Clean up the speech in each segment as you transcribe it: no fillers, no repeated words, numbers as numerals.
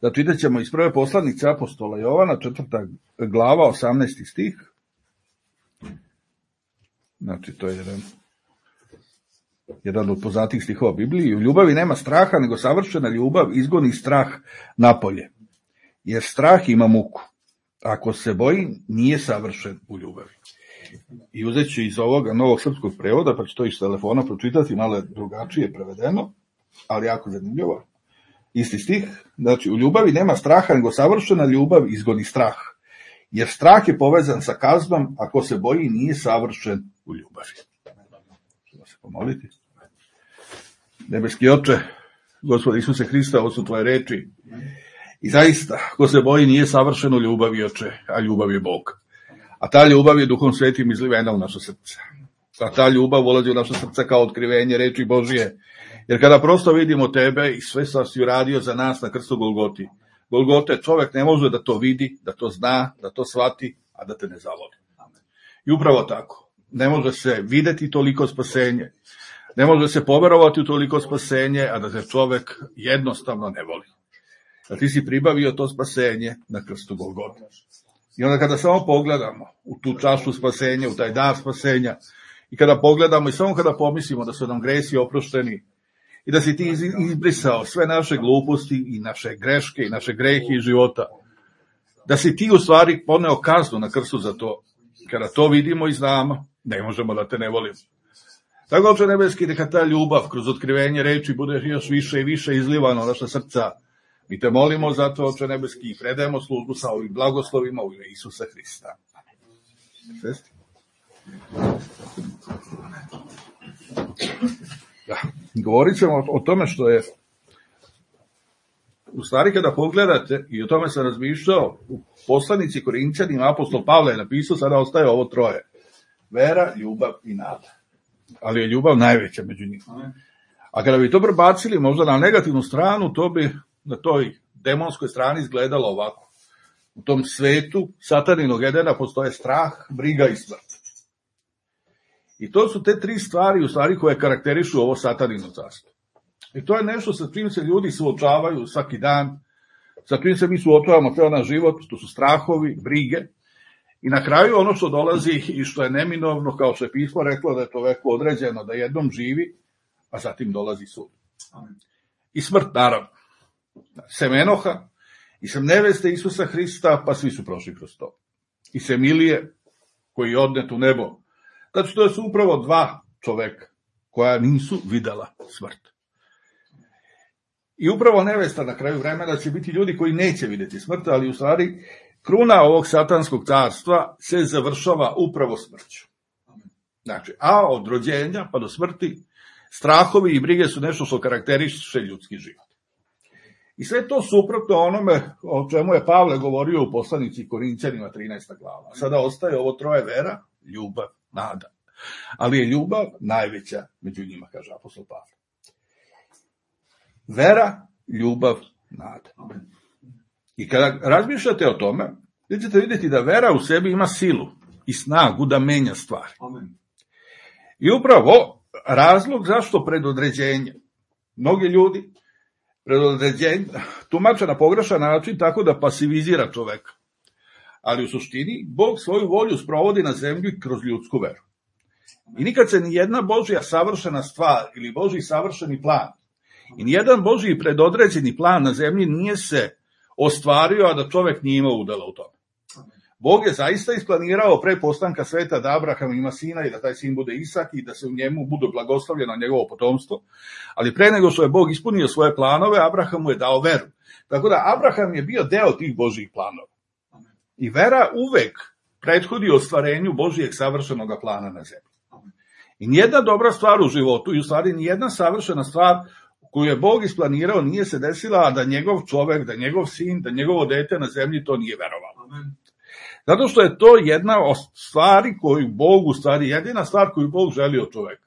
Da čitat ćemo iz prve poslanice apostola Jovana, 4. glava, 18. stih. Znači, to je jedan od poznatih stihova Bibliji. U ljubavi nema straha, nego savršena ljubav izgoni strah napolje. Jer strah ima muku. Ako se boji, nije savršen u ljubavi. I uzet ću iz ovoga novog srpskog prevoda, pa ću to iz telefona pročitati, malo je drugačije prevedeno, ali jako zanimljivo. Isti stih, znači u ljubavi nema straha, nego savršena ljubav izgoni strah. Jer strah je povezan sa kaznom, ako se boji, nije savršen u ljubavi. Ćemo se pomoliti. Nebeski Oče, Gospod Isuse Hrista, ovo su tvoje reči. I zaista, ko se boji, nije savršen u ljubavi, Oče, a ljubav je Bog. A ta ljubav je Duhom Svetim izlivena u naše srce. A ta ljubav ulazi u naše srce kao otkrivenje reči Božije. Jer kada prosto vidimo tebe i sve što si uradio za nas na krstu Golgote, čovjek ne može da to vidi, da to zna, da to shvati, a da te ne zavoli. I upravo tako. Ne može se videti toliko spasenje. Ne može se poverovati u toliko spasenje, a da se čovjek jednostavno ne voli. Da ti si pribavio to spasenje na krstu Golgote. I onda kada samo pogledamo u tu čašu spasenja, u taj dar spasenja, i kada pogledamo i samo kada pomislimo da su nam gresi oprošteni i da si ti izbrisao sve naše gluposti i naše greške i naše grehe iz života, da si ti u stvari poneo kaznu na krstu za to, kada to vidimo i znamo, ne možemo da te ne volimo. Tako, Oče nebeski, neka ta ljubav kroz otkrivenje reči bude još više i više izlivana u naša srca. Mi te molimo za to, Oče nebeski, i predajemo službu sa ovim blagoslovima u ime Isusa Hrista. Svesti? Da, govorit ćemo o tome što je, u stvari kada pogledate, i o tome sam razmišljao, u poslanici Korinćanima apostol Pavle je napisao, sada ostaje ovo troje. Vera, ljubav i nada. Ali je ljubav najveća među njima. A kada bi to prebacili možda na negativnu stranu, to bi na toj demonskoj strani izgledalo ovako. U tom svetu sataninog Edena postoje strah, briga i smrt. I to su te tri stvari, u stvari, koje karakterišu ovo satanino carstvo. I to je nešto sa čim se ljudi suočavaju svaki dan, sa čim se mi suočavamo ceo naš život, to su strahovi, brige. I na kraju ono što dolazi i što je neminovno, kao što je pismo reklo da je čoveku određeno da jednom živi, a zatim dolazi sud. I smrt, naravno. Sem Enoha i sem neveste Isusa Hrista, pa svi su prošli kroz to. I sem Ilije, koji je odnet u nebo. Znači, to su upravo dva čoveka koja nisu videla smrt. I upravo nevesta na kraju vremena će biti ljudi koji neće vidjeti smrt, ali u stvari kruna ovog satanskog carstva se završava upravo smrću. Znači, a od rođenja pa do smrti, strahovi i brige su nešto što karakteriše ljudski život. I sve to suprotno onome o čemu je Pavle govorio u poslanici Korinćanima 13. glava. Sada ostaje ovo troje: vera, ljubav, nada. Ali je ljubav najveća među njima, kaže apostol Pavle. Vera, ljubav, nada. I kada razmišljate o tome, vi ćete vidjeti da vera u sebi ima silu i snagu da menja stvari. I upravo razlog zašto predodređenje. Mnogi ljudi predodređenje tumače na pogrešan način tako da pasivizira čoveka. Ali u suštini Bog svoju volju sprovodi na zemlji kroz ljudsku veru. I nikad se ni jedna Božja savršena stvar ili Božji savršeni plan i nijedan Božji predodređeni plan na zemlji nije se ostvario, a da čovek nije imao udela u tome. Bog je zaista isplanirao pre postanka sveta da Abraham ima sina i da taj sin bude Isak i da se u njemu bude blagoslovljeno njegovo potomstvo, ali pre nego što je Bog ispunio svoje planove, Abrahamu je dao veru. Tako da Abraham je bio deo tih Božjih planova. I vera uvek prethodi ostvarenju Božijeg savršenog plana na zemlji. I nijedna dobra stvar u životu, i u stvari nijedna savršena stvar koju je Bog isplanirao nije se desila, a da njegov čovek, da njegov sin, da njegovo dete na zemlji to nije verovalo. Zato što je to jedna od stvari koju Bog, u stvari jedina stvar koju Bog želi od čoveka.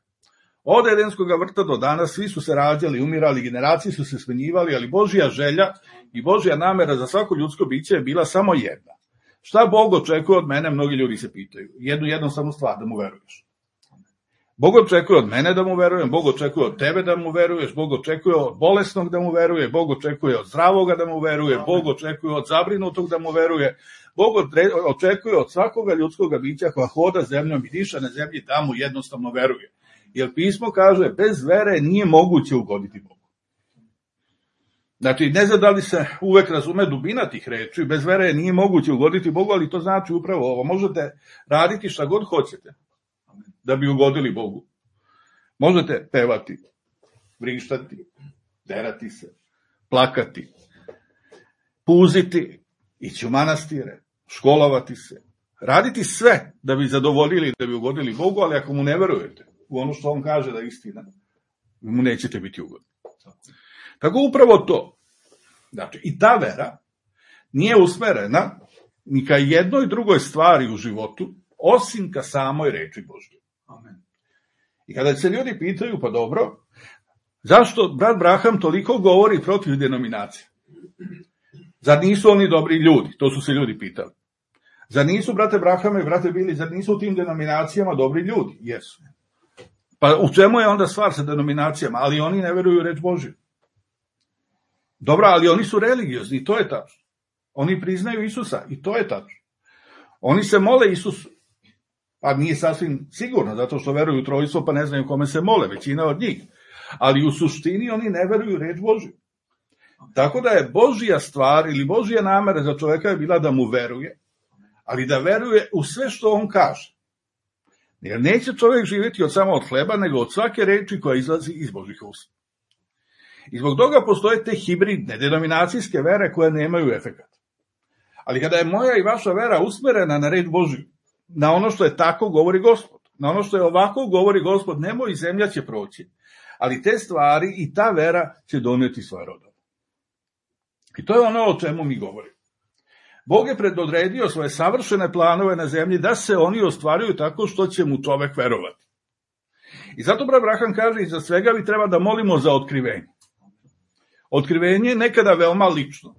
Od Edenskog vrta do danas svi su se rađali, umirali, generacije su se smenjivali, ali Božja želja i Božja namera za svako ljudsko biće je bila samo jedna. Šta Bog očekuje od mene, mnogi ljudi se pitaju. Jednu jednostavnu stvar, da mu veruješ. Bog očekuje od mene da mu verujem, Bog očekuje od tebe da mu veruješ, Bog očekuje od bolesnog da mu veruje, Bog očekuje od zdravoga da mu veruje, Bog očekuje od zabrinutog da mu veruje, Bog očekuje od svakoga ljudskog bića koja hoda zemljom i diša na zemlji da mu jednostavno veruje. Jer pismo kaže, bez vere nije moguće ugoditi Bogu. Znači, ne znam da li se uvek razume dubina tih reči, bez vere nije moguće ugoditi Bogu, ali to znači upravo ovo. Možete raditi šta god hoćete da bi ugodili Bogu. Možete pevati, vrištati, derati se, plakati, puziti, ići u manastire, školovati se, raditi sve da bi zadovoljili, da bi ugodili Bogu, ali ako mu ne verujete u ono što on kaže da je istina, mu nećete biti ugodni. Tako upravo to. Znači, i ta vera nije usmerena ni ka jednoj drugoj stvari u životu, osim ka samoj reči Božje. Amen. I kada se ljudi pitaju, pa dobro, zašto brat Braham toliko govori protiv denominacije? Zar nisu oni dobri ljudi? To su se ljudi pitali. Zar nisu, brate Brahame i brate Bili, zar nisu u tim denominacijama dobri ljudi? Jesu. Pa u čemu je onda stvar sa denominacijama? Ali oni ne veruju u reč Božju. Dobro, ali oni su religiozni, i to je tačno. Oni priznaju Isusa, i to je tačno. Oni se mole Isusu, pa nije sasvim sigurno, zato što veruju u trojstvo, pa ne znaju kome se mole, većina od njih. Ali u suštini oni ne veruju u reč Božju. Tako da je Božja stvar ili Božja namera za čoveka je bila da mu veruje, ali da veruje u sve što on kaže. Jer neće čovjek živjeti samo od hleba, nego od svake reči koja izlazi iz Božjih usta. I zbog toga postoje te hibridne, denominacijske vere koje nemaju efekat. Ali kada je moja i vaša vera usmerena na reč Božju, na ono što je tako govori Gospod, na ono što je ovako govori Gospod, nemoj, zemlja će proći, ali te stvari i ta vera će doneti svoje rodove. I to je ono o čemu mi govorimo. Bog je predodredio svoje savršene planove na zemlji da se oni ostvaruju tako što će mu čovek verovati. I zato brat Braham kaže, i za svega vi treba da molimo za otkrivenje. Otkrivenje je nekada veoma lično.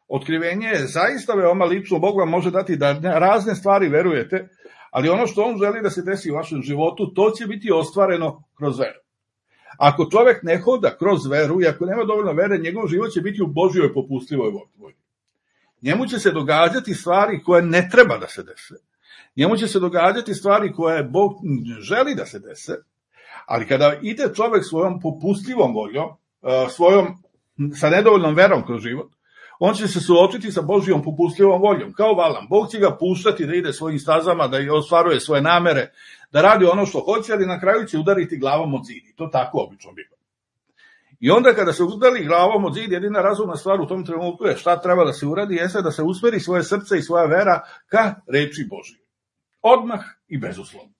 Otkrivenje je zaista veoma lično. Bog vam može dati da razne stvari verujete, ali ono što on želi da se desi u vašem životu, to će biti ostvareno kroz veru. Ako čovek ne hoda kroz veru i ako nema dovoljno vere, njegov život će biti u Božjoj popustljivoj volji. Njemu će se događati stvari koje ne treba da se dese. Njemu će se događati stvari koje Bog želi da se dese, ali kada ide čovek svojom popustljivom voljom, sa nedovoljnom verom kroz život, on će se suočiti sa Božjom popustljivom voljom, kao Valam. Bog će ga puštati da ide svojim stazama, da ostvaruje svoje namere, da radi ono što hoće, ali na kraju će udariti glavom od zid. To tako obično biva. I onda kada se udari glavom od zid, jedina razumna stvar u tom trenutku je šta treba da se uradi, jeste da se usmeri svoje srce i svoja vera ka reči Božje. Odmah i bezuslovno.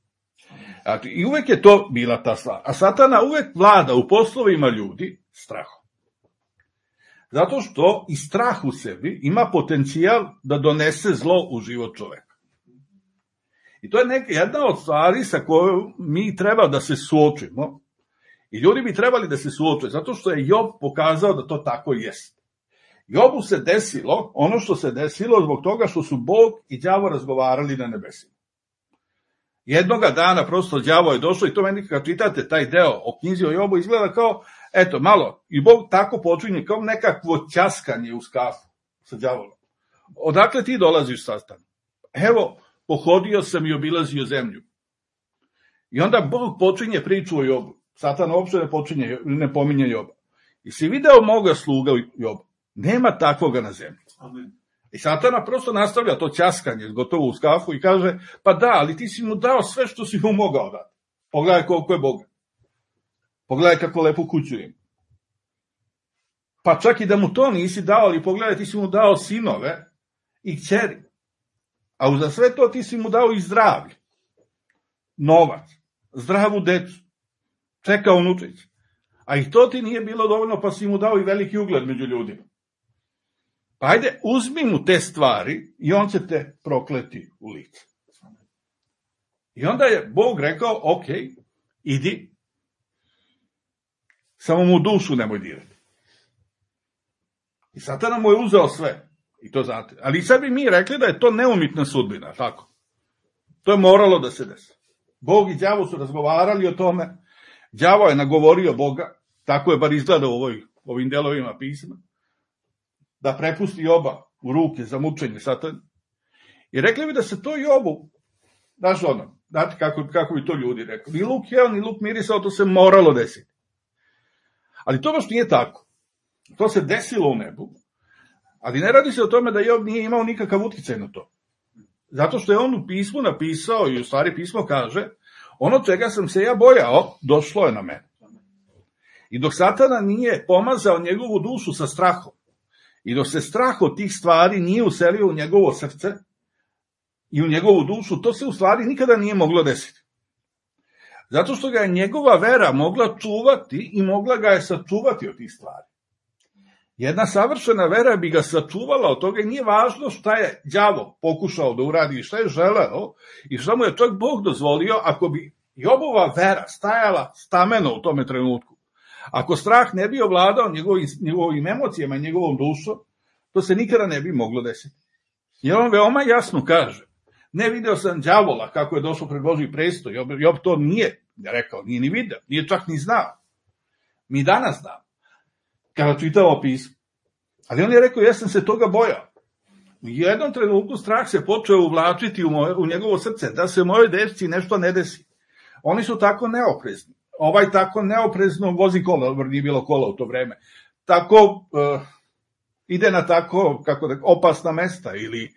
Znači, i uvek je to bila ta stvar. A Satana uvek vlada u poslovima ljudi strahom. Zato što i strah u sebi ima potencijal da donese zlo u život čoveka. I to je jedna od stvari sa kojom mi treba da se suočimo. I ljudi bi trebali da se suoče, zato što je Job pokazao da to tako jeste. Jobu se desilo ono što se desilo zbog toga što su Bog i đavo razgovarali na nebesima. Jednoga dana prosto đavo je došao i to meni kad čitate taj deo o knjizi o Jobu izgleda kao, eto, malo, i Bog tako počinje kao nekakvo ćaskanje u skafu sa đavolom. Odakle ti dolaziš, Satan? Evo, pohodio sam i obilazio zemlju. I onda Bog počinje priču o Jobu. Satan uopšte ne pominje Joba. I si video moga sluga Joba? Nema takvoga na zemlji. Amen. I Satana prosto nastavlja to ćaskanje gotovo u skafu i kaže, pa da, ali ti si mu dao sve što si mu mogao dati. Pogledaj koliko je Boga. Pogledaj kako lepu kuću ima. Pa čak i da mu to nisi dao, ali pogledaj, ti si mu dao sinove i kćeri. A uza sve to ti si mu dao i zdravlje. Novac, zdravu decu, čeka unučić. A i to ti nije bilo dovoljno, pa si mu dao i veliki ugled među ljudima. Pa ajde, uzmi mu te stvari i on će te prokleti u lice. I onda je Bog rekao, ok, idi, samo mu dušu nemoj dirati. I Satan mu je uzeo sve. I to znate. Ali sad bi mi rekli da je to neumitna sudbina, tako. To je moralo da se desi. Bog i đavo su razgovarali o tome, đavo je nagovorio Boga, tako je bar izgleda u ovim delovima pisma, da prepusti oba u ruke za mučenje Satana. I rekli bi da se to Jobu, znaš ono, znate kako bi to ljudi rekli, ni luk jeo, ni luk mirisao, to se moralo desiti. Ali to baš nije tako. To se desilo u nebu, ali ne radi se o tome da Job nije imao nikakav uticaj na to. Zato što je on u pismu napisao, i u stvari pismo kaže, ono čega sam se ja bojao, došlo je na mene. I dok Satana nije pomazao njegovu dušu sa strahom, i dok se strah od tih stvari nije uselio u njegovo srce i u njegovu dušu, to se u stvari nikada nije moglo desiti. Zato što ga je njegova vera mogla čuvati i mogla ga je sačuvati od tih stvari. Jedna savršena vera bi ga sačuvala od toga i nije važno šta je đavo pokušao da uradi i šta je želeo i šta mu je čak Bog dozvolio, ako bi Jobova vera stajala stameno u tome trenutku. Ako strah ne bi ovladao njegovim emocijama i njegovom dušom, to se nikada ne bi moglo desiti. I on veoma jasno kaže, ne video sam đavola kako je došao pred Božji presto, Job to nije rekao, nije ni video, nije čak ni znao. Mi danas znamo, kada čitamo pismo. Ali on je rekao, ja sam se toga bojao. U jednom trenutku strah se počeo uvlačiti u njegovo srce, da se mojoj dečci nešto ne desi. Oni su tako neoprezni. Ovaj tako neoprezno vozi kola, nije bilo kola u to vreme. Tako ide na tako opasna mesta ili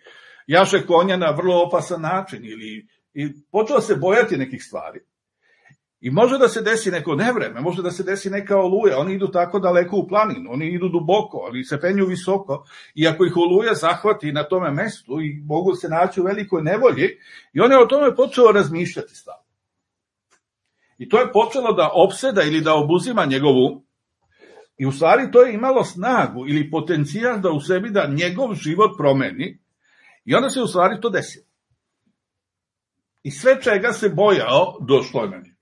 jaše konja na vrlo opasan način i počeo se bojati nekih stvari. I može da se desi neko nevreme, može da se desi neka oluja, oni idu tako daleko u planinu, oni idu duboko, oni se penju visoko i ako ih oluja zahvati na tome mestu i mogu se naći u velikoj nevolji i on je o tome počeo razmišljati stavno. I to je počelo da opseda ili da obuzima njegovu i u stvari to je imalo snagu ili potencijal da u sebi da njegov život promeni i onda se u stvari to desilo. I sve čega se bojao došlo je na njega.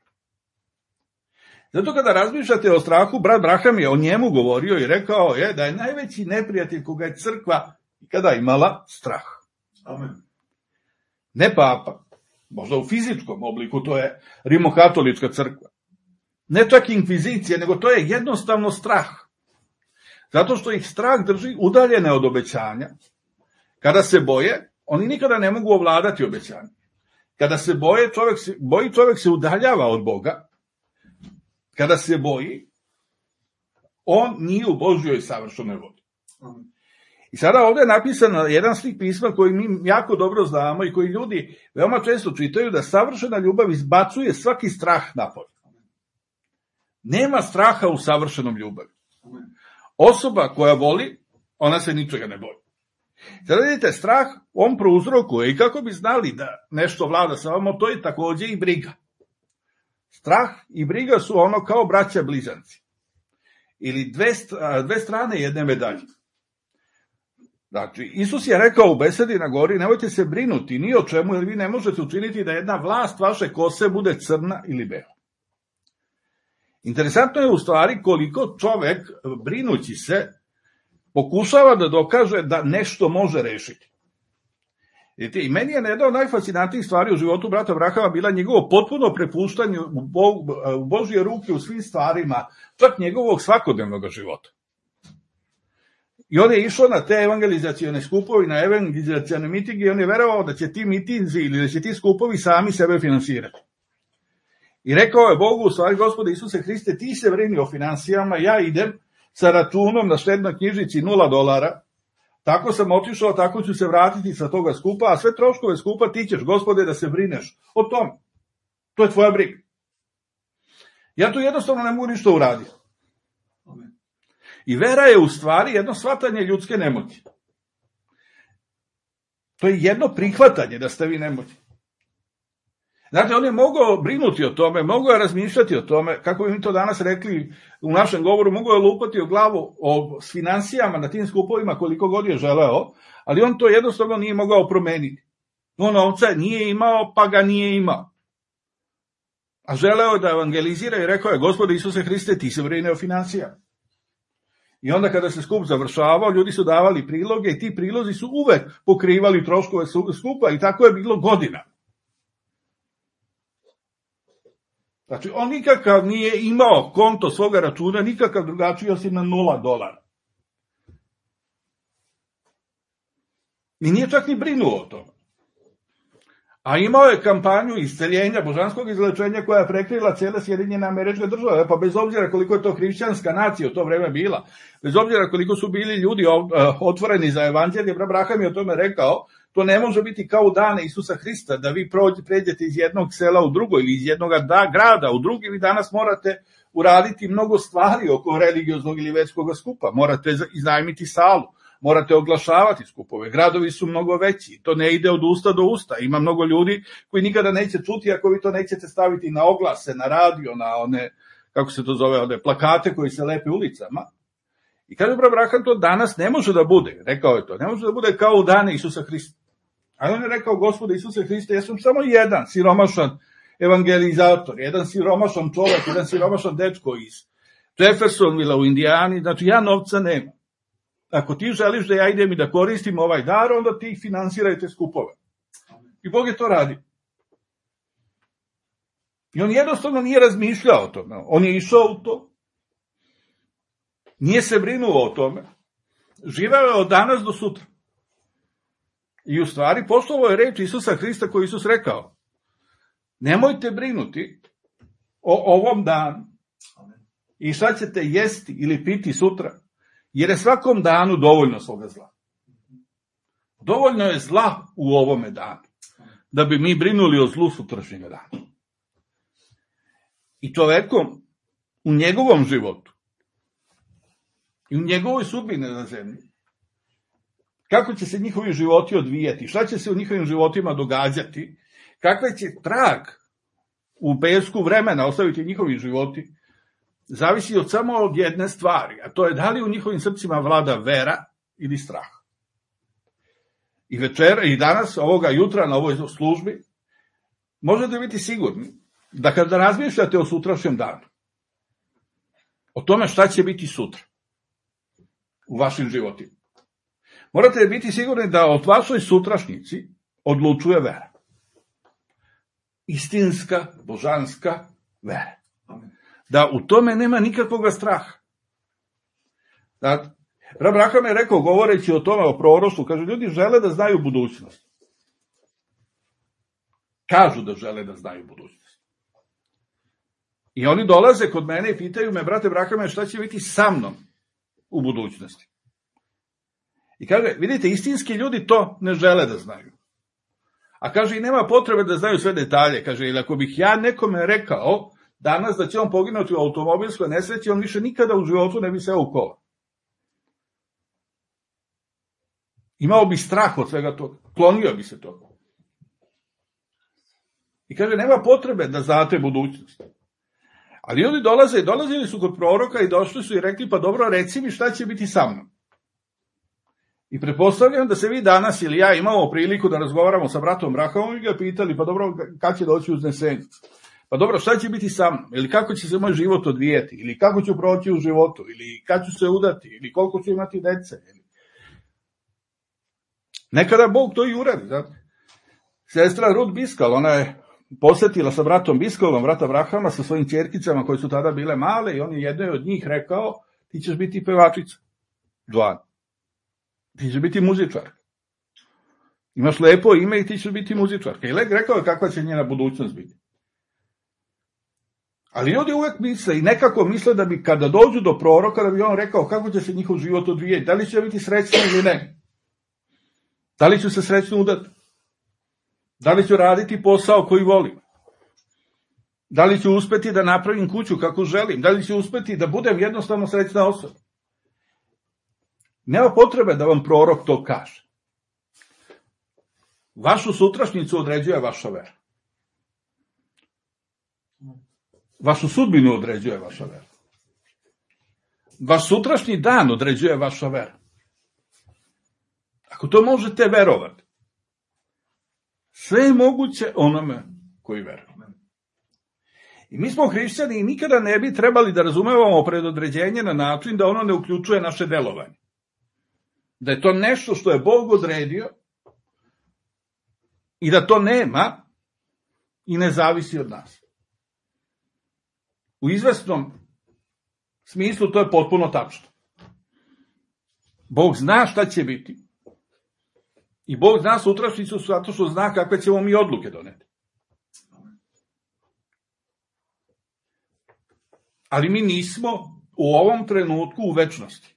Zato kada razmišljate o strahu, brat Braham je o njemu govorio i rekao je da je najveći neprijatelj koga je crkva ikada imala strah. Amen. Ne papa, možda u fizičkom obliku, to je rimokatolička crkva. Ne čak inkvizicija, nego to je jednostavno strah. Zato što ih strah drži udaljene od obećanja. Kada se boje, oni nikada ne mogu ovladati obećanje. Kada se boje, čovjek se udaljava od Boga. Kada se boji, on nije u Božjoj savršenoj vodi. I sada ovdje je napisan jedan stih pisma koji mi jako dobro znamo i koji ljudi veoma često čitaju, da savršena ljubav izbacuje svaki strah napolje. Nema straha u savršenom ljubavi. Osoba koja voli, ona se ničega ne boji. Sada vidite, strah on prouzrokuje i kako bi znali da nešto vlada sa vama, to je također i briga. Strah i briga su ono kao braća blizanci. Ili dve strane jedne medalje. Znači, Isus je rekao u besedi na gori, nemojte se brinuti ni o čemu, jer vi ne možete učiniti da jedna vlast vaše kose bude crna ili bela. Interesantno je u stvari koliko čovek, brinući se, pokušava da dokaže da nešto može rešiti. I meni je jedna od najfascinantnijih stvari u životu brata Brahama bila njegovo potpuno prepuštanje u Božje ruke u svim stvarima, čak njegovog svakodnevnog života. I on je išao na te evangelizacione skupovi, na evangelizacione mitinge i on je verovao da će ti mitinzi ili da će ti skupovi sami sebe finansirati. I rekao je Bogu, u stvari, Gospode Isuse Hriste, ti se brini o finansijama, ja idem sa računom na štednoj knjižici $0, tako sam otišao, tako ću se vratiti sa toga skupa, a sve troškove skupa ti ćeš, Gospode, da se brineš o tome. To je tvoja briga. Ja tu jednostavno ne mogu ništa uraditi. I vera je u stvari jedno shvatanje ljudske nemoći. To je jedno prihvatanje da ste vi nemoćni. Znate, on je mogao brinuti o tome, mogao je razmišljati o tome, kako bi mi to danas rekli u našem govoru, mogao je lupati o glavu o finansijama na tim skupovima koliko god je želeo, ali on to jednostavno nije mogao promeniti. On novca nije imao, pa ga nije imao. A želeo je da evangelizira i rekao je, Gospode Isuse Hriste, ti se brini o finansijama. I onda kada se skup završavao, ljudi su davali priloge i ti prilozi su uvek pokrivali troškove skupa i tako je bilo godina. Znači, on nikakav nije imao konto svoga računa, nikakav drugačiji osim na $0. I nije čak ni brinuo o tome. A imao je kampanju isceljenja, božanskog izlečenja koja je prekrila cijele Sjedinjene Američke Države, pa bez obzira koliko je to hrišćanska nacija u to vreme bila, bez obzira koliko su bili ljudi otvoreni za evanđelje, Abraham je o tome rekao, to ne može biti kao u dane Isusa Hrista, da vi pređete iz jednog sela u drugo ili iz jednog grada u drugi, vi danas morate uraditi mnogo stvari oko religioznog ili verskog skupa, morate iznajmiti salu, morate oglašavati skupove, gradovi su mnogo veći, to ne ide od usta do usta, ima mnogo ljudi koji nikada neće čuti ako vi to nećete staviti na oglase, na radio, na one, kako se to zove, one plakate koji se lepe ulicama. I kaže Abraham, to danas ne može da bude, rekao je to, ne može da bude kao u dane Isusa Hrista. A on je rekao, Gospode Isuse Hriste, ja sam samo jedan siromašan evangelizator, jedan siromašan čovjek, jedan siromašan dečko iz Jeffersonville u Indijani, znači ja novca nemam. Ako ti želiš da ja idem i da koristim ovaj dar, onda ti finansirajte skupove. I Bog je to radio. I on jednostavno nije razmišljao o tome. On je išao u to. Nije se brinuo o tome. Živeo je od danas do sutra. I u stvari poslovao je reč Isusa Hrista koji Isus rekao. Nemojte brinuti o ovom danu i šta ćete jesti ili piti sutra, jer je svakom danu dovoljno svoga zla. Dovoljno je zla u ovome danu, da bi mi brinuli o zlu sutrašnjega dana. I čovekom u njegovom životu i u njegovoj sudbini na zemlji, kako će se njihovi životi odvijati, šta će se u njihovim životima događati, kakve će trag u pesku vremena ostaviti njihovi životi, zavisi od samo od jedne stvari, a to je da li u njihovim srcima vlada vera ili strah. I večera i danas, ovoga jutra na ovoj službi, možete biti sigurni da kada razmišljate o sutrašnjem danu, o tome šta će biti sutra u vašim životima, morate biti sigurni da od vašoj sutrašnjici odlučuje vera. Istinska, božanska vera. Da u tome nema nikakvog straha. Abraham je rekao, govoreći o tome, o proroštvu, kaže, ljudi žele da znaju budućnost. Kažu da žele da znaju budućnost. I oni dolaze kod mene i pitaju me, brate Abrahame, šta će biti sa mnom u budućnosti? I kaže, vidite, istinski ljudi to ne žele da znaju. A kaže, i nema potrebe da znaju sve detalje. Kaže, ili ako bih ja nekome rekao danas da će on poginuti u automobilskoj nesreći, on više nikada u životu ne bi seo u kola. Imao bi strah od svega toga. Klonio bi se toga. I kaže, nema potrebe da znate budućnost. Ali ljudi dolazili su kod proroka i došli su i rekli, pa dobro, reci mi šta će biti sa mnom. I pretpostavljam da se vi danas ili ja imamo priliku da razgovaramo sa bratom Abrahamom i ga pitali, pa dobro, kad će doći uznesenje? Pa dobro, šta će biti sa mnom? Ili kako će se moj život odvijeti? Ili kako ću proći u životu? Ili kad ću se udati? Ili koliko ću imati dece? Nekada Bog to i uradi. Znate? Sestra Ruth Biskal, ona je posjetila sa bratom Biskalom, brata Abrahama, sa svojim ćerkicama koje su tada bile male i on je jednoj od njih rekao, ti ćeš biti pevačica, Joan. Ti ćeš biti muzičar. Imaš lepo ime i ti ćeš biti muzičarka. I rekao je kakva će njena budućnost biti. Ali ljudi uvek misle i nekako misle da bi kada dođu do proroka, da bi on rekao kako će se njihov život odvijeti, da li će biti srećni ili ne. Da li ću se srećno udati? Da li ću raditi posao koji volim? Da li ću uspeti da napravim kuću kako želim? Da li ću uspeti da budem jednostavno srećna osoba? Nema potrebe da vam prorok to kaže. Vašu sutrašnjicu određuje vaša vera. Vašu sudbinu određuje vaša vera. Vaš sutrašnji dan određuje vaša vera. Ako to možete verovati, sve je moguće onome koji veruje. I mi smo hrišćani i nikada ne bi trebali da razumevamo predodređenje na način da ono ne uključuje naše delovanje. Da je to nešto što je Bog odredio i da to nema i ne zavisi od nas. U izvesnom smislu to je potpuno tačno. Bog zna šta će biti. I Bog zna sutrašnjicu zato što zna kakve ćemo mi odluke doneti. Ali mi nismo u ovom trenutku u večnosti.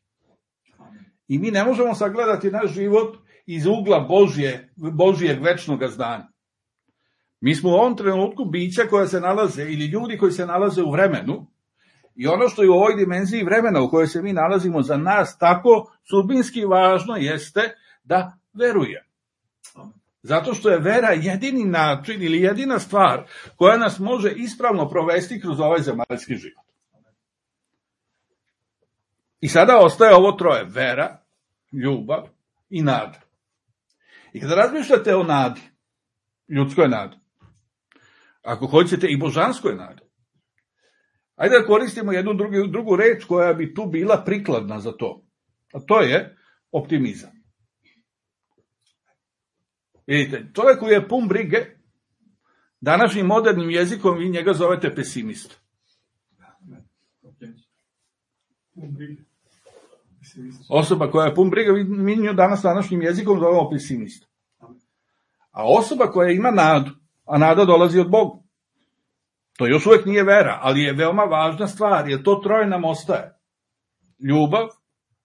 I mi ne možemo sagledati naš život iz ugla Božijeg večnog znanja. Mi smo u ovom trenutku bića koja se nalaze, ili ljudi koji se nalaze u vremenu, i ono što je u ovoj dimenziji vremena u kojoj se mi nalazimo za nas tako sudbinski važno jeste da veruje. Zato što je vera jedini način ili jedina stvar koja nas može ispravno provesti kroz ovaj zemaljski život. I sada ostaje ovo troje: vera, ljubav i nada. I kada razmišljate o nadi, ljudskoj nadi, ako hoćete i božanskoj nadi, ajde da koristimo jednu drugu reč koja bi tu bila prikladna za to. A to je optimizam. Vidite, čovjek koji je pun brige, današnjim modernim jezikom vi njega zovete pesimista. Osoba koja je pun briga, mi nju danas današnjim jezikom zovemo pesimista. A osoba koja ima nadu, a nada dolazi od Boga, to još uvijek nije vera, ali je veoma važna stvar, jer to troje nam ostaje: ljubav,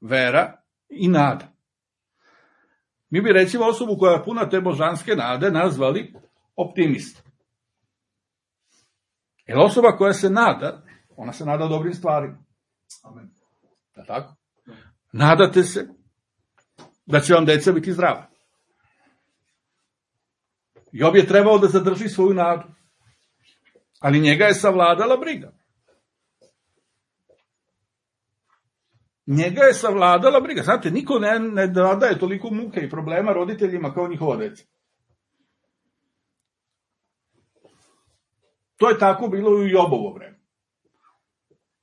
vera i nada. Mi bi recimo osobu koja je puna te božanske nade nazvali optimist. Jer osoba koja se nada, ona se nada dobrim stvarima. Amen. Da tako? Nadate se da će vam deca biti zdrava. Job je trebao da zadrži svoju nadu, ali njega je savladala briga. Njega je savladala briga. Znate, niko ne daje toliko muke i problema roditeljima kao njihova deca. To je tako bilo i u Jobovo vreme.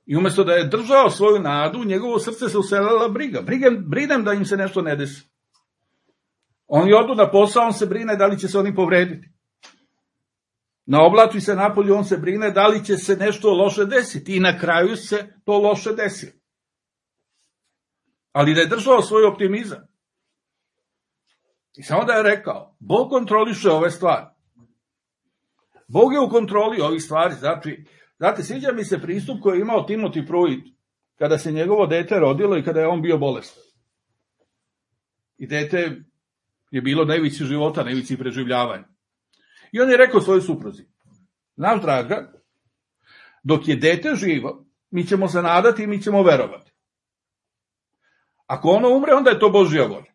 I umjesto da je držao svoju nadu, u njegovo srce se uselila briga. Brinem da im se nešto ne desi. Oni odu na posao, on se brine da li će se oni povrediti. Na oblatu se napolju, on se brine da li će se nešto loše desiti. I na kraju se to loše desilo. Ali da je držao svoj optimizam. I samo da je rekao, Bog kontroliše ove stvari. Bog je u kontroli ovih stvari. Znate, sviđa mi se pristup koji je imao Timothy Pruitt kada se njegovo dete rodilo i kada je on bio bolestan. I dete je bilo na ivici života, na ivici preživljavanja. I on je rekao svojoj supruzi: znaš, draga, dok je dete živo, mi ćemo se nadati i mi ćemo verovati. Ako ono umre, onda je to Božja volja.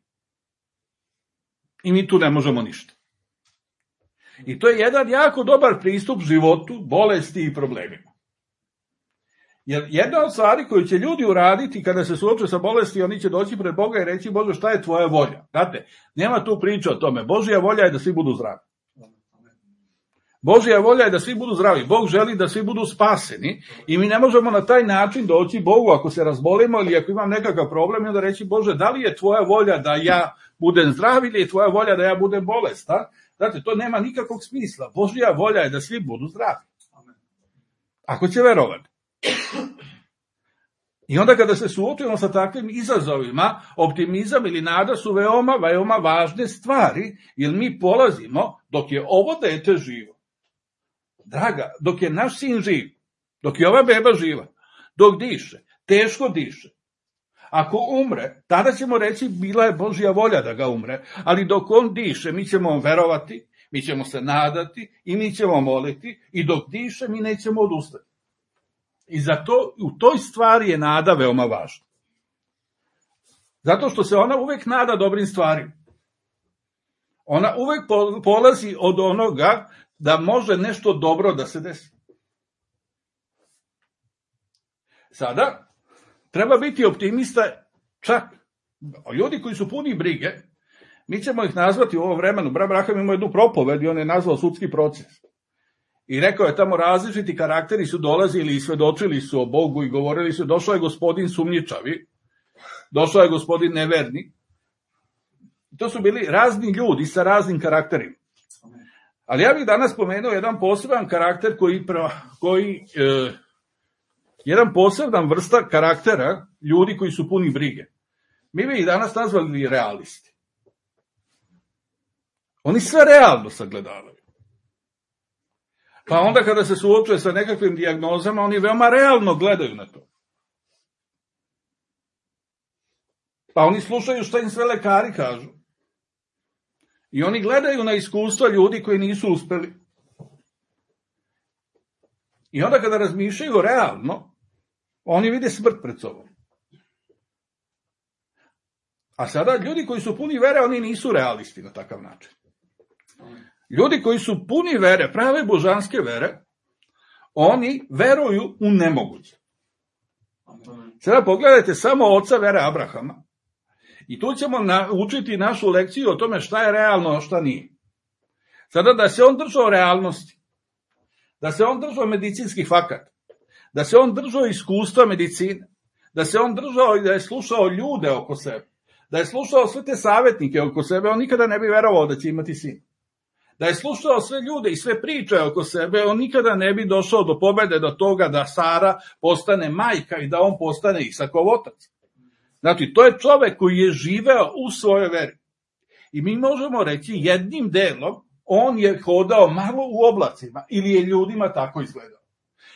I mi tu ne možemo ništa. I to je jedan jako dobar pristup životu, bolesti i problemima. Jer jedna od stvari koju će ljudi uraditi kada se suoče sa bolesti, oni će doći pred Boga i reći: Bože, šta je tvoja volja? Znate, nema tu priče o tome. Božja volja je da svi budu zdravi. Božja volja je da svi budu zdravi. Bog želi da svi budu spaseni i mi ne možemo na taj način doći Bogu ako se razbolimo ili ako imam nekakav problem i onda reći: Bože, da li je tvoja volja da ja budem zdrav ili je tvoja volja da ja budem bolestan? Znate, to nema nikakvog smisla. Božja volja je da svi budu zdravi. Ako će verovati. I onda kada se suočimo sa takvim izazovima, optimizam ili nada su veoma važne stvari, jer mi polazimo dok je ovo dete živo. Draga, dok je naš sin živ, dok je ova beba živa, dok diše, teško diše. Ako umre, tada ćemo reći: bila je Božja volja da ga umre, ali dok on diše, mi ćemo verovati, mi ćemo se nadati i mi ćemo moliti, i dok diše, mi nećemo odustati. I zato u toj stvari je nada veoma važna. Zato što se ona uvek nada dobrim stvarima. Ona uvek polazi od onoga da može nešto dobro da se desi. Sada, treba biti optimista čak. Ljudi koji su puni brige, mi ćemo ih nazvati u ovom vremenu. Brat Braham ima jednu propoved i on je nazvao sudski proces. I rekao je tamo: različiti karakteri su dolazili i svedočili su o Bogu i govorili su: došao je gospodin sumnjičavi, došao je gospodin neverni. To su bili razni ljudi sa raznim karakterima. Ali ja bih danas spomenuo jedan poseban karakter koji jedan poseban vrsta karaktera ljudi koji su puni brige. Mi bi ih danas nazvali realisti. Oni sve realno sagledavaju. Pa onda kada se suočuje sa nekakvim dijagnozama, oni veoma realno gledaju na to. Pa oni slušaju šta im sve lekari kažu. I oni gledaju na iskustva ljudi koji nisu uspeli. I onda kada razmišljaju realno, oni vide smrt pred sobom. A sada ljudi koji su puni vere, oni nisu realisti na takav način. Ljudi koji su puni vere, prave božanske vere, oni veruju u nemoguće. Sada pogledajte samo oca vere Abrahama. I tu ćemo učiti našu lekciju o tome šta je realno, a šta nije. Sada da se on držao realnosti, da se on držao medicinskih fakata, da se on držao iskustva medicine, da se on držao i da je slušao ljude oko sebe, da je slušao sve te savjetnike oko sebe, on nikada ne bi verovao da će imati sin. Da je slušao sve ljude i sve priče oko sebe, on nikada ne bi došao do pobede, do toga da Sara postane majka i da on postane Isakov otac. Znači, to je čovek koji je živeo u svojoj veri. I mi možemo reći jednim delom, on je hodao malo u oblacima ili je ljudima tako izgledao.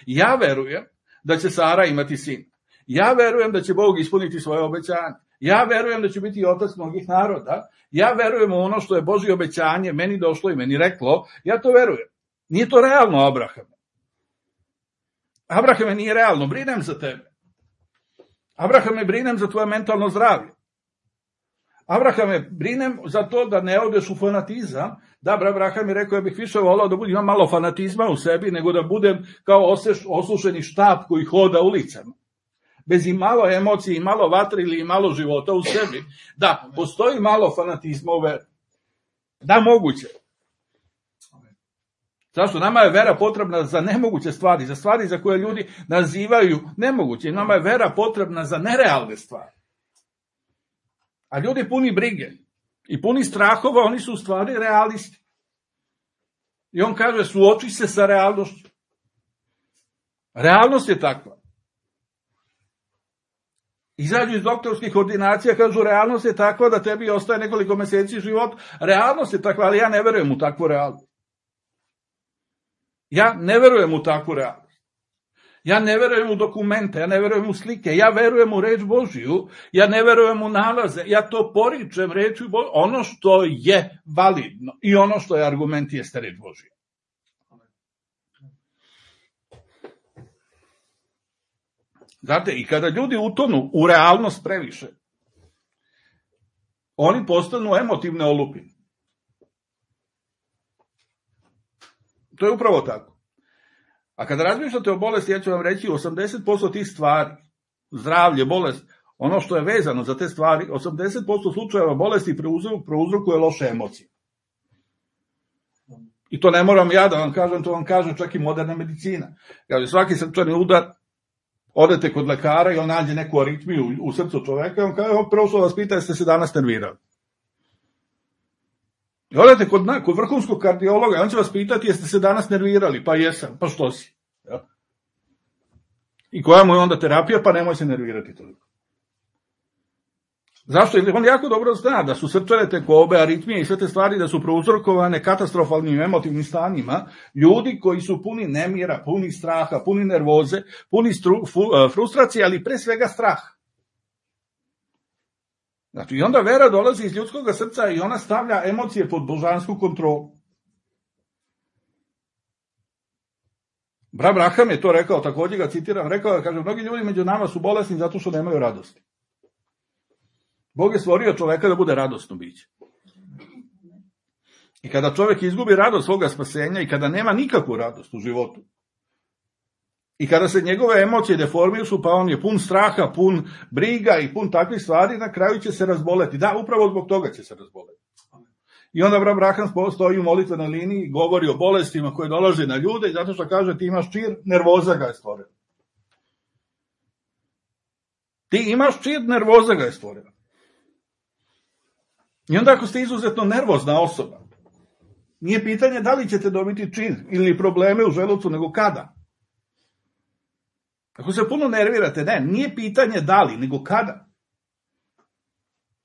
Ja verujem da će Sara imati sin. Ja verujem da će Bog ispuniti svoje obećanje. Ja verujem da će biti otac mnogih naroda. Ja verujem u ono što je Božje obećanje meni došlo i meni reklo. Ja to verujem. Nije to realno, Abrahame. Abrahame, nije realno. Brinem za tebe. Abrahame, brinem za tvoje mentalno zdravlje. Abrahame, brinem za to da ne odeš u fanatizam. Da, Abraham je rekao, ja bih više volao da imam malo fanatizma u sebi, nego da budem kao osušeni štap koji hoda ulicama. Bez i malo emocije, i malo vatre ili i malo života u sebi. Da, postoji malo fanatizma u veri. Da, moguće. Zašto? Nama je vera potrebna za nemoguće stvari, za stvari za koje ljudi nazivaju nemoguće. Nama je vera potrebna za nerealne stvari. A ljudi puni brige i puni strahova, oni su u stvari realisti. I on kaže, suoči se sa realnošću. Realnost je takva. Izađu iz doktorskih ordinacija, kažu, realnost je takva da tebi ostaje nekoliko meseci života. Realnost je takva, ali ja ne verujem u takvu realnost. Ja ne verujem u takvu realnost. Ja ne verujem u dokumente, ja ne verujem u slike, ja verujem u reč Božiju, ja ne verujem u nalaze, ja to poričem rečju Božiju, ono što je validno i ono što je argument jeste reč Božija. Znate, i kada ljudi utonu u realnost previše, oni postanu emotivne olupine. To je upravo tako. A kada razmišljate o bolesti, ja ću vam reći, 80% tih stvari, zdravlje, bolest, ono što je vezano za te stvari, 80% slučajeva bolesti prouzrokuje loše emocije. I to ne moram ja da vam kažem, to vam kaže čak i moderna medicina. Kaže, svaki srčani udar, odete kod lekara i on nađe neku aritmiju u srcu čoveka i on kaže, prvo što vas pita, jeste se danas nervirali. I odete kod vrhunskog kardiologa i on će vas pitati, jeste se danas nervirali? Pa jesam, pa što si? Ja. I koja mu je onda terapija? Pa nemoj se nervirati toliko. Zašto? Jer on jako dobro zna da su srčane tekobe, aritmije i sve te stvari da su prouzrokovane katastrofalnim emotivnim stanjima, ljudi koji su puni nemira, puni straha, puni nervoze, puni frustracije, ali pre svega straha. Znači, i onda vera dolazi iz ljudskog srca i ona stavlja emocije pod božansku kontrolu. Abraham je to rekao, također ga citiram, rekao je, kaže, mnogi ljudi među nama su bolesni zato što nemaju radosti. Bog je stvorio čoveka da bude radosno biće. I kada čovek izgubi radost svoga spasenja i kada nema nikakvu radost u životu, i kada se njegove emocije deformišu, pa on je pun straha, pun briga i pun takvih stvari, na kraju će se razboleti. Da, upravo zbog toga će se razboleti. I onda Abraham stoji u molitvenoj liniji i govori o bolestima koje dolaze na ljude i zato što kaže ti imaš čir, nervoza ga je stvorila. Ti imaš čir, nervoza ga je stvorila. I onda ako ste izuzetno nervozna osoba, nije pitanje da li ćete dobiti čir ili probleme u želucu, nego kada. Ako se puno nervirate, nije pitanje da li, nego kada.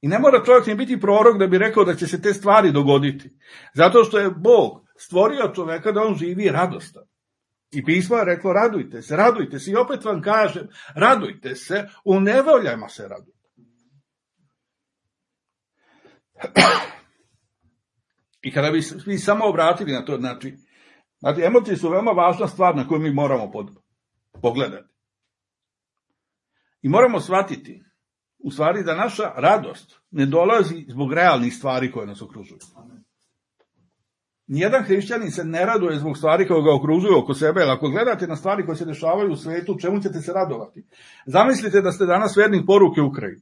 I ne mora čovjek ni biti prorok da bi rekao da će se te stvari dogoditi. Zato što je Bog stvorio čoveka da on živi radostan. I pismo je reklo radujte se. I opet vam kažem, radujte se, u nevoljama se radujte. I kada bi svi samo obratili na to, znači emocije su veoma važna stvar na koju mi moramo pogledati. I moramo shvatiti, u stvari, da naša radost ne dolazi zbog realnih stvari koje nas okružuju. Nijedan hrišćanin se ne raduje zbog stvari koje ga okružuju oko sebe, jer ako gledate na stvari koje se dešavaju u svetu, čemu ćete se radovati? Zamislite da ste danas vernik poruke Ukrajini.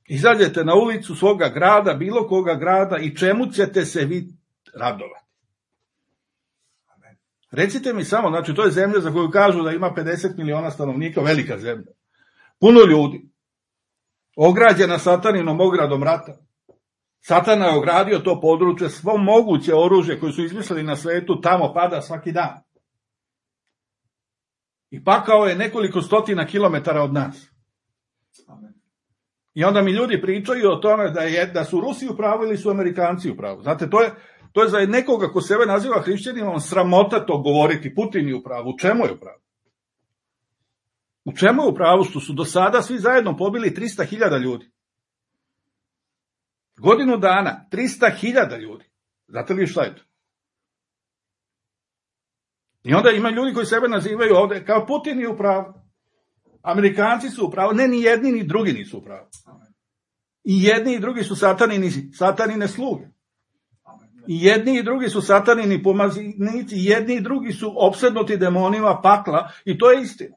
Izađete na ulicu svoga grada, bilo koga grada, i čemu ćete se vi radovati? Recite mi samo, znači to je zemlja za koju kažu da ima 50 miliona stanovnika, velika zemlja. Puno ljudi, ograđena sataninom ogradom rata. Satana je ogradio to područje, svo moguće oružje koje su izmislili na svetu tamo pada svaki dan. I pakao je nekoliko stotina kilometara od nas. I onda mi ljudi pričaju o tome da su Rusi u pravu ili su Amerikanci u pravu. Znate, to je za nekoga ko sebe naziva hrišćaninom sramota to govoriti. Putin je u pravu. U čemu je u pravu? U čemu je u pravu? Što su do sada svi zajedno pobili 300.000 ljudi. Godinu dana, 300.000 ljudi. Znate li šta je to? I onda ima ljudi koji sebe nazivaju ovde kao Putin je u pravu. Amerikanci su u pravu. Ne, ni jedni ni drugi nisu u pravu. I jedni i drugi su satanine sluge. I jedni i drugi su satanini pomaznici. I jedni i drugi su opsednuti demonima pakla. I to je istina.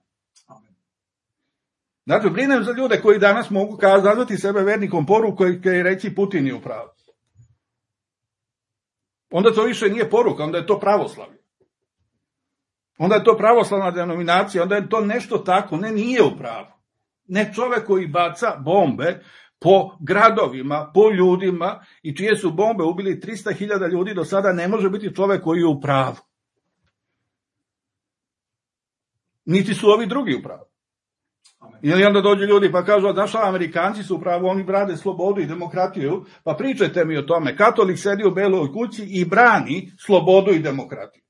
Znači, brinem za ljude koji danas mogu nazvati sebe vernikom poruku i reći Putin je u pravu. Onda to više nije poruka, onda je to pravoslavlje. Onda je to pravoslavna denominacija, onda je to nešto tako, nije u pravu. Ne čovek koji baca bombe po gradovima, po ljudima i čije su bombe ubili 300.000 ljudi do sada ne može biti čovek koji je u pravu. Niti su ovi drugi u pravu. Ili onda dođu ljudi pa kažu, znaš, Amerikanci su u pravu, oni brade slobodu i demokratiju, pa pričajte mi o tome. Katolik sedi u Beloj kući i brani slobodu i demokratiju.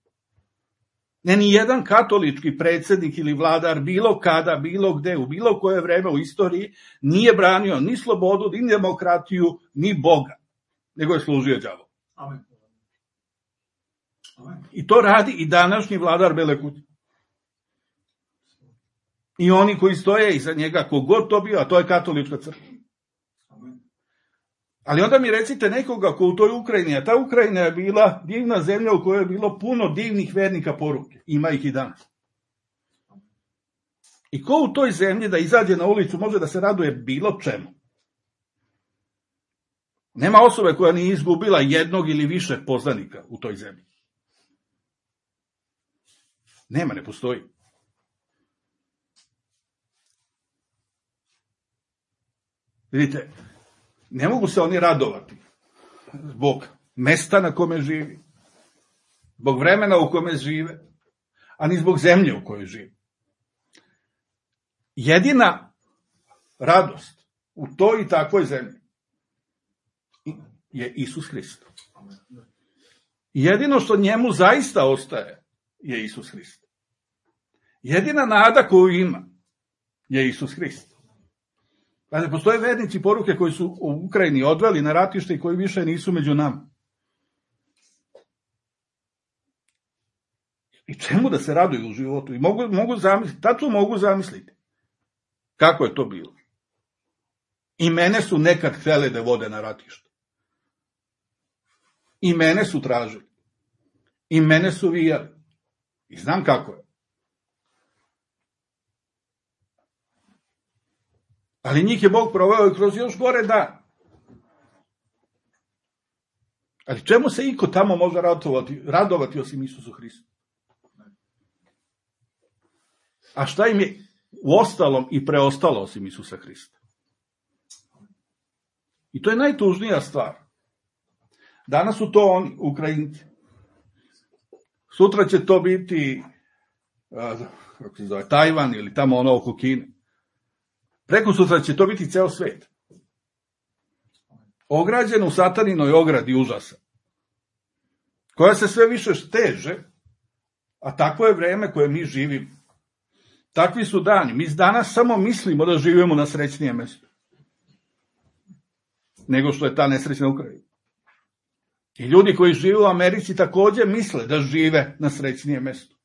Ne, ni jedan katolički predsjednik ili vladar bilo kada, bilo gde, u bilo koje vreme u istoriji nije branio ni slobodu, ni demokratiju, ni Boga, nego je služio đavolu. Amen. I to radi i današnji vladar Bele kuće. I oni koji stoje iza njega, kogod to bio, a to je katolička crkva. Ali onda mi recite nekoga ko u toj Ukrajini, a ta Ukrajina je bila divna zemlja u kojoj je bilo puno divnih vernika poruke. Ima ih i danas. I ko u toj zemlji da izađe na ulicu može da se raduje bilo čemu? Nema osobe koja nije izgubila jednog ili više poznanika u toj zemlji. Nema, ne postoji. Vidite, ne mogu se oni radovati zbog mesta na kome živi, zbog vremena u kome žive, ani zbog zemlje u kojoj živi. Jedina radost u toj i takvoj zemlji je Isus Hrist. Jedino što njemu zaista ostaje je Isus Hrist. Jedina nada koju ima je Isus Hrist. Znači, postoje vernici poruke koji su u Ukrajini odveli na ratište i koji više nisu među nama. I čemu da se raduju u životu? I mogu zamisliti, tačno mogu zamisliti kako je to bilo. I mene su nekad htjeli da vode na ratište. I mene su tražili. I mene su vijali. I znam kako je. Ali njih je Bog proveo kroz još gore dan. Ali čemu se iko tamo može radovati osim Isusu Hristu? A šta im je u ostalom i preostalo osim Isusa Hrista? I to je najtužnija stvar. Danas su to oni, Ukrajinci. Sutra će to biti kako se zove, Tajvan ili tamo ono oko Kine. Preko sutra će to biti ceo svet. Ograđen u sataninoj ogradi užasa, koja se sve više steže, a takvo je vreme koje mi živimo. Takvi su dani. Mi danas samo mislimo da živimo na srećnijem mestu, nego što je ta nesrećna Ukrajina. I ljudi koji žive u Americi također misle da žive na srećnijem mestu.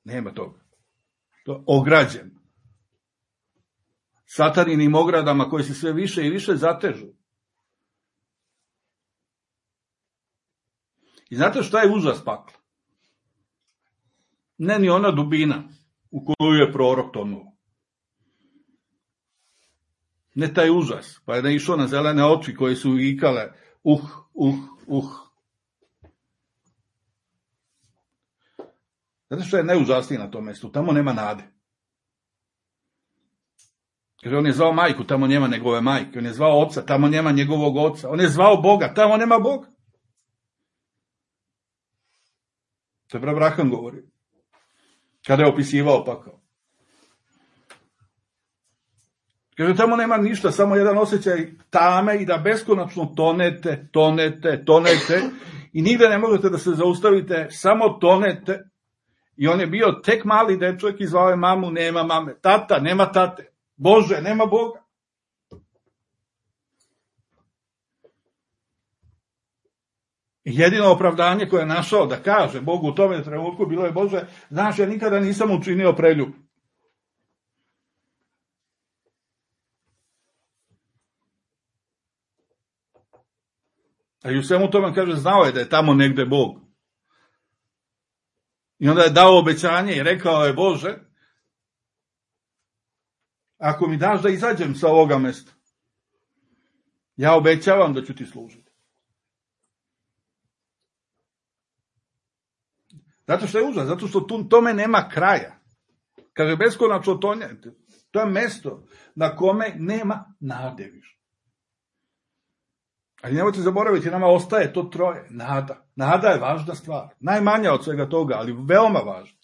Nema toga. To je ograđeno. Sataninim ogradama koji se sve više i više zatežu. I znate šta je užas pakla? Ne ni ona dubina u koju je prorok tonuo. Ne taj užas, pa je da išao na zelene oči koje su ikale uh. Znate što je najužasnije na tom mjestu? Tamo nema nade. Kaže, on je zvao majku, tamo nema njegove majke. On je zvao oca, tamo nema njegovog oca. On je zvao Boga, tamo nema Boga. To je Abraham govori. Kada je opisivao pakao. Kaže, tamo nema ništa, samo jedan osjećaj tame i da beskonačno tonete i nigde ne možete da se zaustavite, samo tonete. I on je bio tek mali dečak i zvao je mamu, nema mame. Tata, nema tate. Bože, nema Boga. Jedino opravdanje koje je našao da kaže Bogu u tome trenutku bilo je, Bože, znaš, ja nikada nisam učinio preljub. A i u svemu tome kaže, znao je da je tamo negde Bog. I onda je dao obećanje i rekao je, Bože, ako mi daš da izađem sa ovoga mesta, ja obećavam da ću ti služiti. Zato što je užas, zato što tome nema kraja. Kaže, beskonačno tonjete. To je mesto na kome nema nade više. Ali nemojte zaboraviti, nama ostaje to troje. Nada. Nada je važna stvar. Najmanja od svega toga, ali veoma važna.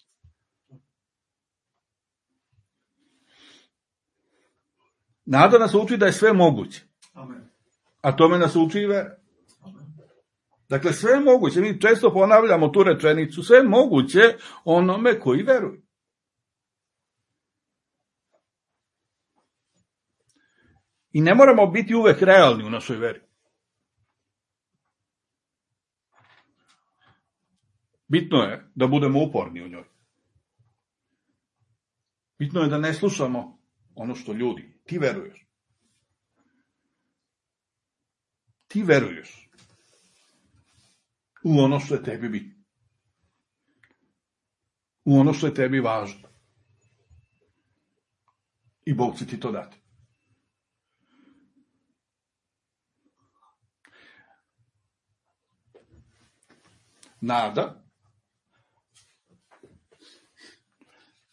Nada nas uči da je sve moguće. A tome nas uči i vera. Dakle, sve je moguće. Mi često ponavljamo tu rečenicu. Sve je moguće onome koji veruje. I ne moramo biti uvek realni u našoj veri. Bitno je da budemo uporni u njoj. Bitno je da ne slušamo ono što ljudi. Ti veruješ. Ti veruješ u ono što je tebi bitno. U ono što je tebi važno. I Bog će ti to dati. Nada.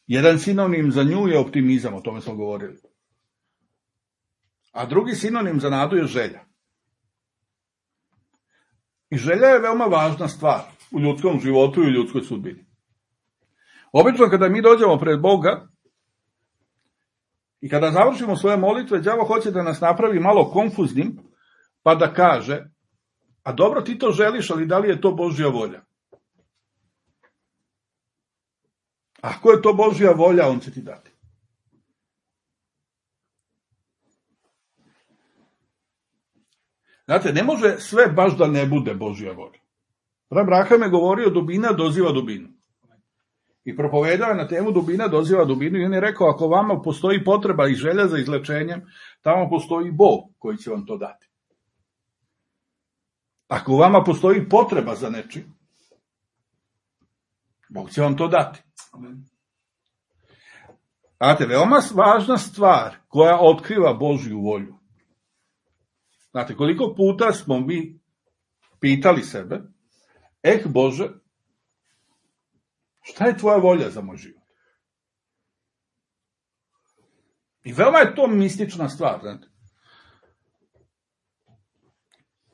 Jedan sinonim za nju je optimizam, o tome smo govorili. A drugi sinonim za nadu je želja. I želja je veoma važna stvar u ljudskom životu i u ljudskoj sudbini. Obično kada mi dođemo pred Boga i kada završimo svoje molitve, đavo hoće da nas napravi malo konfuznim, pa da kaže, a dobro, ti to želiš, ali da li je to Božja volja? Ako je to Božja volja, on će ti dati. Znate, ne može sve baš da ne bude Božja volja. Abraham je govorio, dubina doziva dubinu. I propovedao je na temu dubina doziva dubinu i on je rekao, ako vama postoji potreba i želja za izlečenjem, tamo postoji Bog koji će vam to dati. Ako vama postoji potreba za nečim, Bog će vam to dati. Znate, veoma važna stvar koja otkriva Božju volju. Znate, koliko puta smo mi pitali sebe, Bože, šta je tvoja volja za moj život? I veoma je to mistična stvar, znate.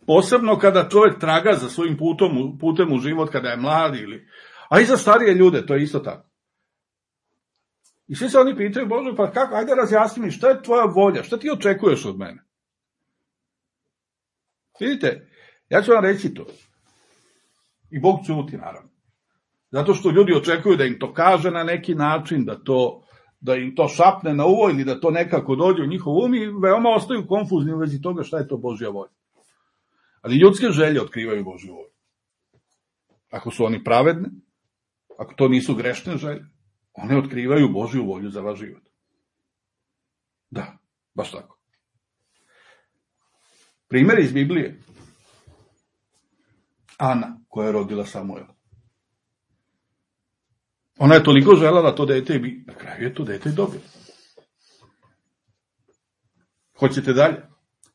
Posebno kada čovjek traga za svojim putem u život, kada je mlad ili... A i za starije ljude, to je isto tako. I svi se oni pitaju, Bože, pa kako, ajde razjasni mi, šta je tvoja volja, šta ti očekuješ od mene? Vidite, ja ću vam reći to. I Bog ćuti, naravno. Zato što ljudi očekuju da im to kaže na neki način, da im to šapne na uvo ili da to nekako dođe u njihov um i veoma ostaju konfuzni u vezi toga šta je to Božja volja. Ali ljudske želje otkrivaju Božju volju. Ako su oni pravedne, ako to nisu grešne želje, one otkrivaju Božju volju za vaš život. Da, baš tako. Primjer iz Biblije. Ana, koja je rodila Samuela. Ona je toliko željela to dete i na kraju je to dete i dobila. Hoćete dalje?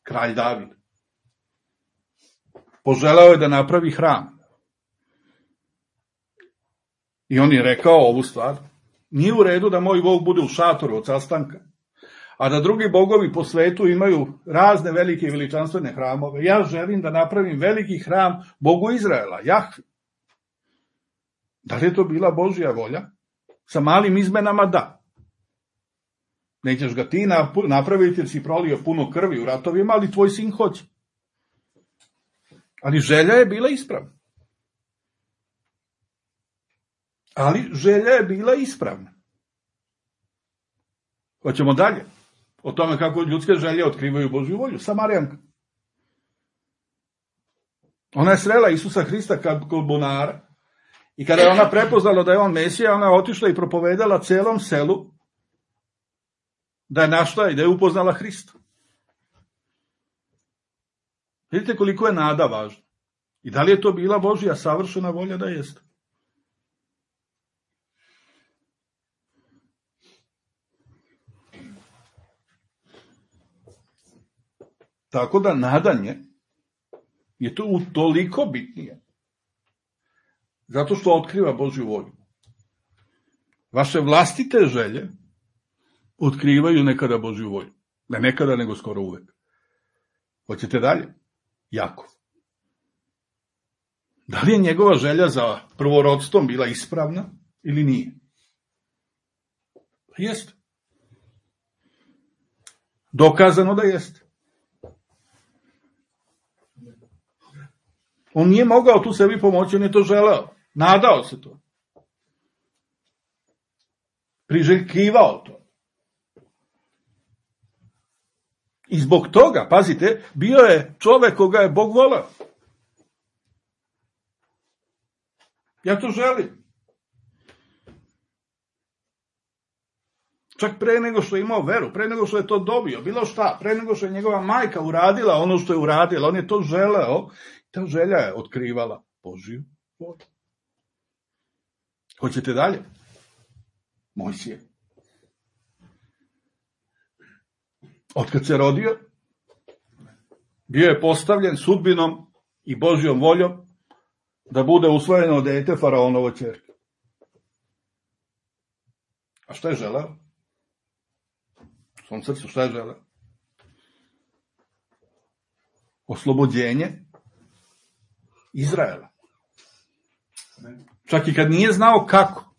Kralj David. Poželeo je da napravi hram. I on je rekao ovu stvar. Nije u redu da moj Bog bude u šatoru od sastanka, a da drugi bogovi po svetu imaju razne velike i veličanstvene hramove. Ja želim da napravim veliki hram Bogu Izraela, Jahvi. Da li je to bila Božja volja? Sa malim izmenama da. Nećeš ga ti napraviti jer si prolio puno krvi u ratovima, ali tvoj sin hoće. Ali želja je bila ispravna. Hoćemo dalje. O tome kako ljudske želje otkrivaju Božju volju. Samarijanka. Ona je srela Isusa Hrista kod bunara. I kada je ona prepoznala da je on Mesija, ona je otišla i propovedala celom selu da je našla i da je upoznala Hrista. Vidite koliko je nada važna. I da li je to bila Božja savršena volja da jeste? Tako da nadanje je to utoliko bitnije. Zato što otkriva Božju volju. Vaše vlastite želje otkrivaju nekada Božju volju. Ne nekada, nego skoro uvek. Hoćete dalje? Jako. Da li je njegova želja za prvorodstvom bila ispravna ili nije? Jeste. Dokazano da jeste. On nije mogao tu sebi pomoći, on je to želeo. Nadao se to. Priželjkivao to. I zbog toga, pazite, bio je čovek koga je Bog voleo. Ja to želim. Čak pre nego što je imao veru, pre nego što je to dobio, bilo šta, pre nego što je njegova majka uradila ono što je uradila, on je to želeo, ta želja je otkrivala Božju volju. Hoćete dalje? Mojsije. Otkad se rodio, bio je postavljen sudbinom i Božjom voljom da bude usvojeno dete faraonovo ćerke. A šta je želeo? U svom srcu šta je želeo? Oslobođenje Izraela. Čak i kad nije znao kako.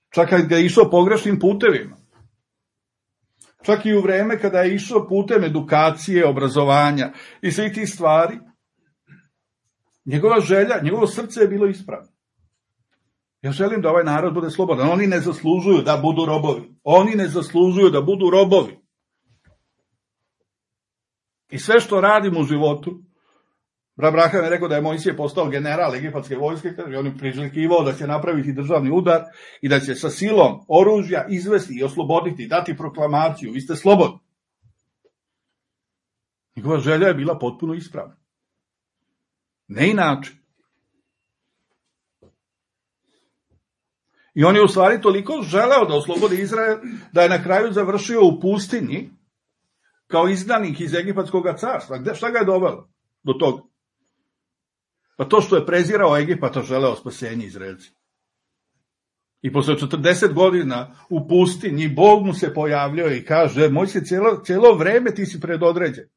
Čak kad ga je išao pogrešnim putevima. Čak i u vreme kada je išao putem edukacije, obrazovanja i svih tih stvari, njegova želja, njegovo srce je bilo ispravno. Ja želim da ovaj narod bude slobodan. Oni ne zaslužuju da budu robovi. Oni ne zaslužuju da budu robovi. I sve što radim u životu, Abraham je rekao da je Mojsije postao general egipatske vojske, i on je priželjkivao da će napraviti državni udar i da će sa silom oružja izvesti i osloboditi, dati proklamaciju, vi ste slobodni. Njegova želja je bila potpuno ispravna. Ne inače. I on je u stvari toliko želeo da oslobodi Izrael, da je na kraju završio u pustinji kao izdanik iz egipatskog carstva. Šta ga je dovelo do toga? Pa to što je prezirao Egipata, želeo spasenje Izraelci. I posle 40 godina u pustinji Bog mu se pojavljao i kaže, Mojsije, cijelo vreme ti si predodređen.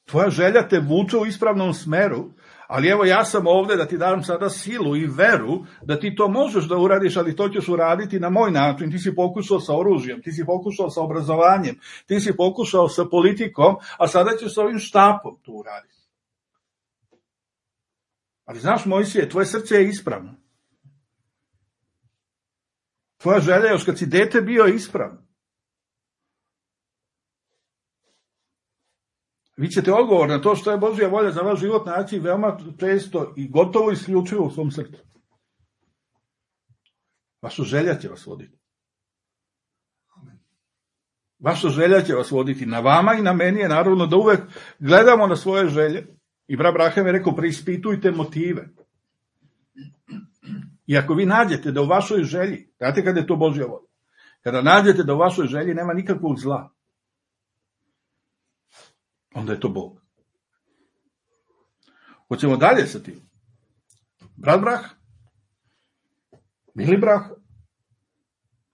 Tvoja želja te vuče u ispravnom smeru, ali evo ja sam ovdje da ti dam sada silu i veru da ti to možeš da uradiš, ali to ćeš uraditi na moj način. Ti si pokušao sa oružjem, ti si pokušao sa obrazovanjem, ti si pokušao sa politikom, a sada ćeš sa ovim štapom to uraditi. Ali znaš, Mojsije, tvoje srce je ispravno. Tvoja želja još kad si dete bio je ispravna. Vi ćete odgovor na to što je Božja volja za vaš život naći veoma često i gotovo isključivo u svom srcu. Vaša želja će vas voditi. Vaša želja će vas voditi. Na vama i na meni je naravno da uvek gledamo na svoje želje. I brat Abraham je rekao, preispitujte motive. I ako vi nađete da u vašoj želji, znate kada je to Božja volja, kada nađete da u vašoj želji nema nikakvog zla, onda je to Bog. Hoćemo dalje sa tim. Brat Brah, Bili Brah,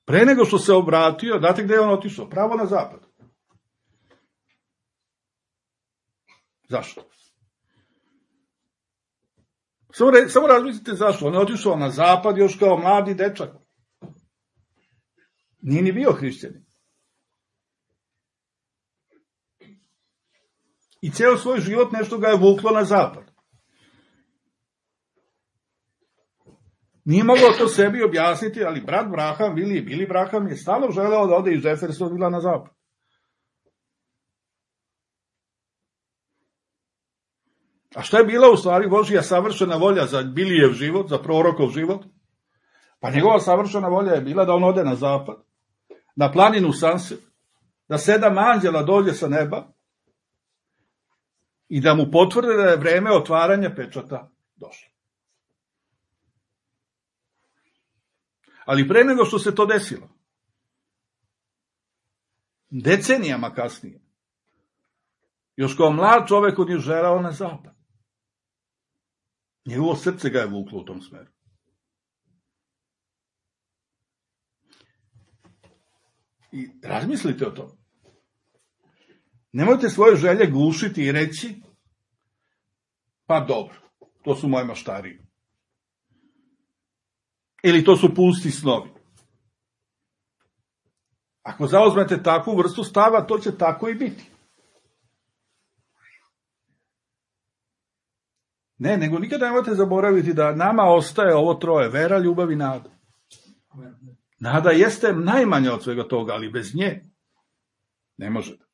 pre nego što se obratio, znate gde je on otišao? Pravo na zapad. Zašto? Samo razmislite zašto. On je otišao na zapad još kao mladi dečak. Nije ni bio hrišćanin. I ceo svoj život nešto ga je vuklo na zapad. Nije mogao to sebi objasniti, ali brat Braham, Bili Braham je stalno želeo da ode iz Jeffersonvilla na zapad. A šta je bila u stvari Božja savršena volja za Bilijev život, za prorokov život? Pa njegova savršena volja je bila da on ode na zapad, na planinu Sunset, da 7 anđela dođe sa neba i da mu potvrde da je vreme otvaranja pečata došlo. Ali pre nego što se to desilo, decenijama kasnije, još kao mlad čovek on je želeo na zapad. Njegovo srce ga je vuklo u tom smeru. I razmislite o tom. Nemojte svoje želje gušiti i reći, pa dobro, to su moje maštarije. Ili to su pusti snovi. Ako zauzmete takvu vrstu stava, to će tako i biti. Ne, nego nikada nemojte zaboraviti da nama ostaje ovo troje, vera, ljubav i nada. Nada jeste najmanja od svega toga, ali bez nje ne možete.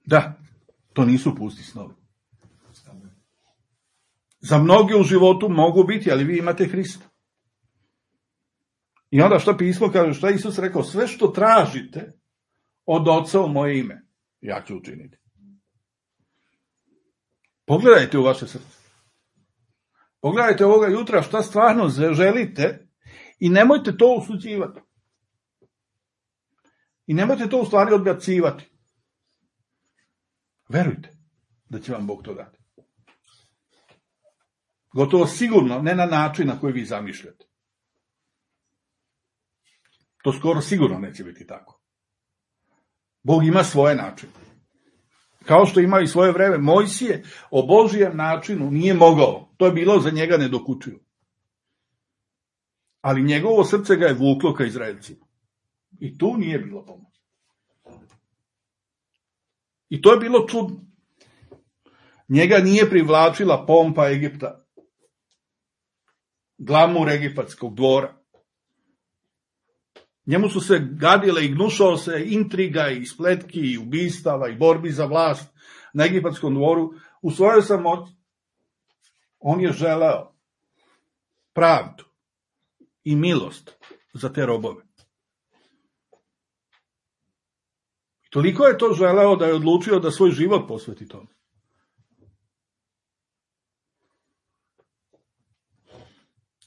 Da, to nisu pusti snovi. Za mnogi u životu mogu biti, ali vi imate Hrista. I onda što pismo kaže, što je Isus rekao, sve što tražite od Oca u moje ime, ja ću učiniti. Pogledajte u vaše srce. Pogledajte ovoga jutra šta stvarno želite i nemojte to osuđivati. I nemojte to u stvari odbacivati. Verujte da će vam Bog to dati. Gotovo sigurno, ne na način na koji vi zamišljate. To skoro sigurno neće biti tako. Bog ima svoje načine. Kao što ima i svoje vreme. Mojsije o Božijem načinu nije mogao. To je bilo za njega nedokučivo. Ali njegovo srce ga je vuklo ka Izraelcima. I tu nije bilo pomoći. I to je bilo čudno. Njega nije privlačila pompa Egipta. Glamur egipatskog dvora. Njemu su se gadile i gnušao se intriga i spletki i ubistava i borbi za vlast na egipatskom dvoru. U svojoj samoći on je želeo pravdu i milost za te robove. I toliko je to želeo da je odlučio da svoj život posveti tome.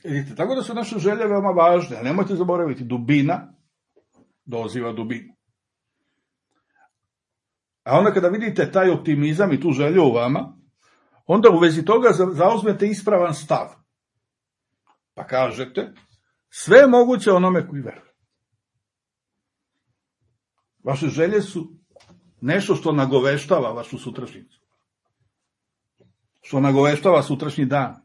Vidite, tako da su naše želje veoma važne, a nemojte zaboraviti, dubina doziva dubinu. A onda kada vidite taj optimizam i tu želju u vama, onda u vezi toga zauzmete ispravan stav. Pa kažete, sve je moguće onome koji veruje. Vaše želje su nešto što nagoveštava vašu sutrašnjicu. Što nagoveštava sutrašnji dan.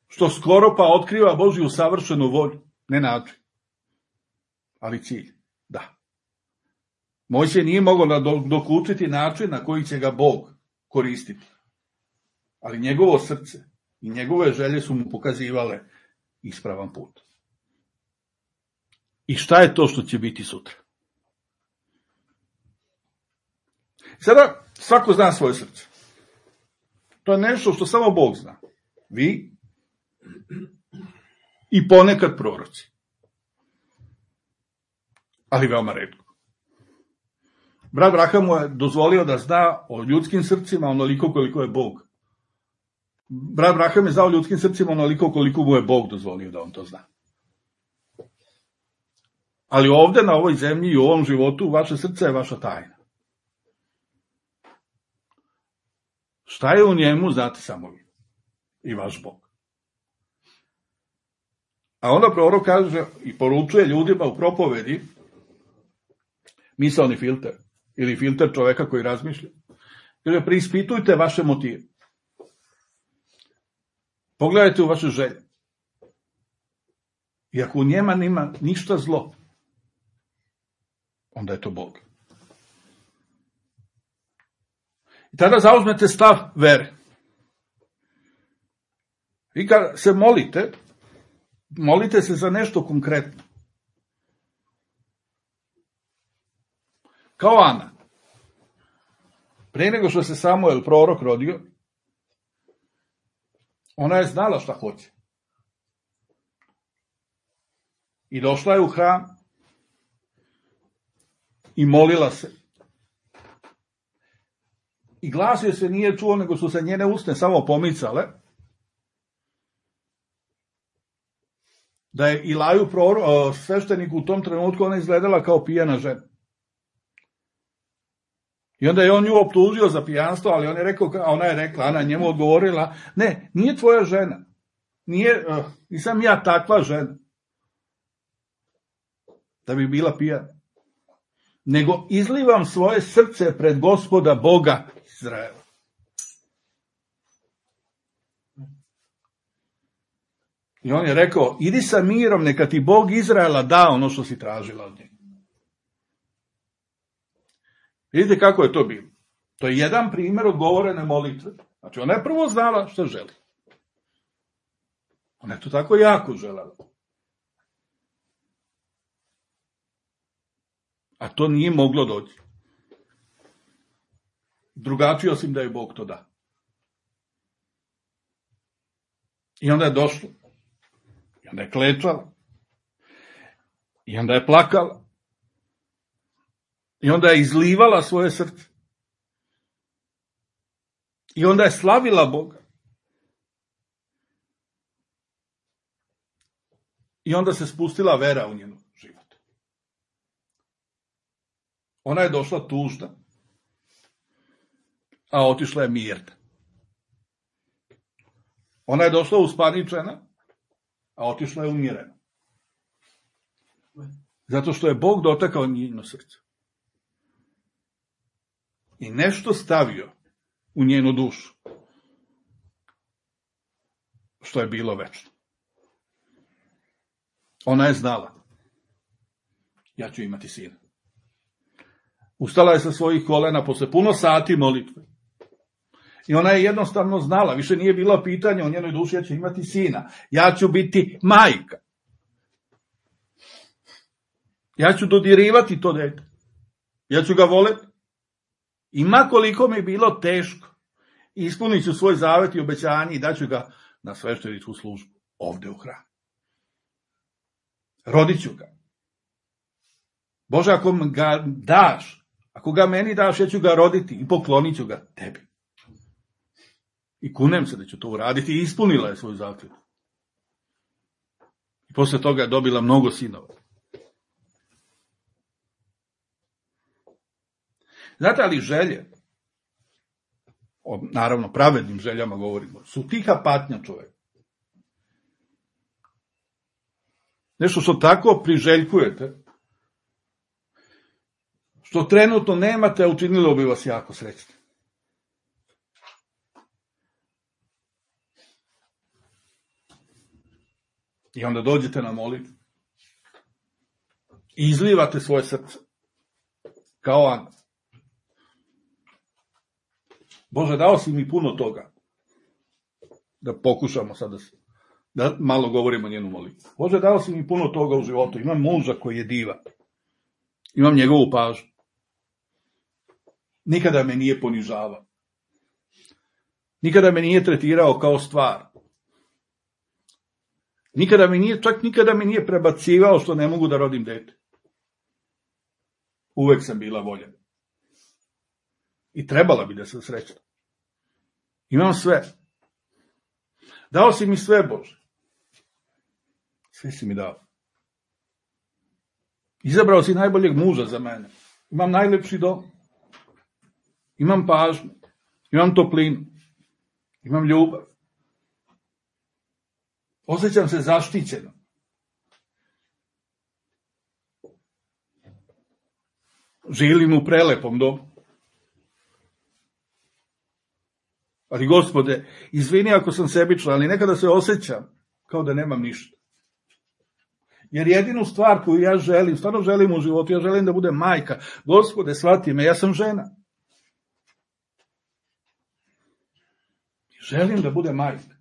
Što skoro pa otkriva Božju savršenu volju. Ne način, ali cilj. Da. Mojsije nije mogao dokučiti način na koji će ga Bog koristiti. Ali njegovo srce i njegove želje su mu pokazivale ispravan put. I šta je to što će biti sutra? Sada svako zna svoje srce. To je nešto što samo Bog zna. Vi i ponekad proroci. Ali veoma retko. Brat Braham mu je dozvolio da zna o ljudskim srcima onoliko koliko je Bog. Brat Braham je znao o ljudskim srcima onoliko koliko mu je Bog dozvolio da on to zna. Ali ovde na ovoj zemlji i u ovom životu vaše srce je vaša tajna. Šta je u njemu, znate samo vi i vaš Bog. A onda prorok kaže i poručuje ljudima u propovedi misaoni filter ili filter čoveka koji razmišlja. Kaže, preispitujte vaše motive. Pogledajte u vaše želje. I ako u njema nima ništa zlo, onda je to Bog. I tada zauzmete stav vere. Vi kad se molite, molite se za nešto konkretno. Kao Ana. Pre nego što se Samuel prorok rodio, ona je znala šta hoće. I došla je u hram i molila se. I glas joj se nije čuo, nego su se njene usne samo pomicale. Da je Ilaju svešteniku u tom trenutku ona izgledala kao pijana žena. I onda je on nju optužio za pijanstvo, ali on je rekao, ona je rekla, Ana njemu odgovorila, ne, nije tvoja žena. Nisam ja takva žena. Da bi bila pijana. Nego izlivam svoje srce pred Gospoda Boga Izraela. I on je rekao, idi sa mirom, neka ti Bog Izraela da ono što si tražila od njega. Vidite kako je to bilo. To je jedan primjer odgovorene molitve. Znači, ona je prvo znala što želi. Ona je to tako jako želela. A to nije moglo doći. Drugačije osim da je Bog to da. I onda je došlo. I onda je klečala. I onda je plakala. I onda je izlivala svoje srce. I onda je slavila Boga. I onda se spustila vera u njenu život. Ona je došla tužna, a otišla je mirna. Ona je došla uspaničena, a otišla je umirena. Zato što je Bog dotakao njeno srce. I nešto stavio u njenu dušu, što je bilo večno. Ona je znala, ja ću imati sina. Ustala je sa svojih kolena posle puno sati molitve. I ona je jednostavno znala, više nije bilo pitanje o njenoj duši, ja ću imati sina. Ja ću biti majka. Ja ću dodirivati to dete. Ja ću ga voleti. I ma koliko mi je bilo teško, ispunit ću svoj zavet i obećanje i daću ga na svešteničku službu ovde u hramu. Rodit ću ga. Bože, ako ga daš, ako ga meni daš, ja ću ga roditi i poklonit ću ga tebi. I kunem se da ću to uraditi i ispunila je svoju zakletvu. I posle toga je dobila mnogo sinova. Znate, ali želje, naravno pravednim željama govorimo, su tiha patnja čoveka. Nešto što tako priželjkujete, što trenutno nemate, a učinilo bi vas jako srećni. I onda dođete na molitvu i izlivate svoje srce kao Ana. Bože, dao si mi puno toga. Da pokušamo sada da malo govorimo o njenu molitvu. Bože, dao si mi puno toga u životu. Imam muža koji je divan. Imam njegovu pažnju. Nikada me nije ponižavao. Nikada me nije tretirao kao stvar. Nikada mi nije prebacivao što ne mogu da rodim dete. Uvek sam bila voljena. I trebala bi da sam srećna. Imam sve. Dao si mi sve, Bože. Sve si mi dao. Izabrao si najboljeg muža za mene. Imam najlepši dom. Imam pažnju. Imam toplinu. Imam ljubav. Osjećam se zaštićeno. Živim u prelepom domu. Ali, Gospode, izvini ako sam sebičan, ali nekada se osjećam kao da nemam ništa. Jer jedinu stvar koju ja želim, stvarno želim u životu, ja želim da budem majka. Gospode, shvati me, ja sam žena. Želim da budem majka.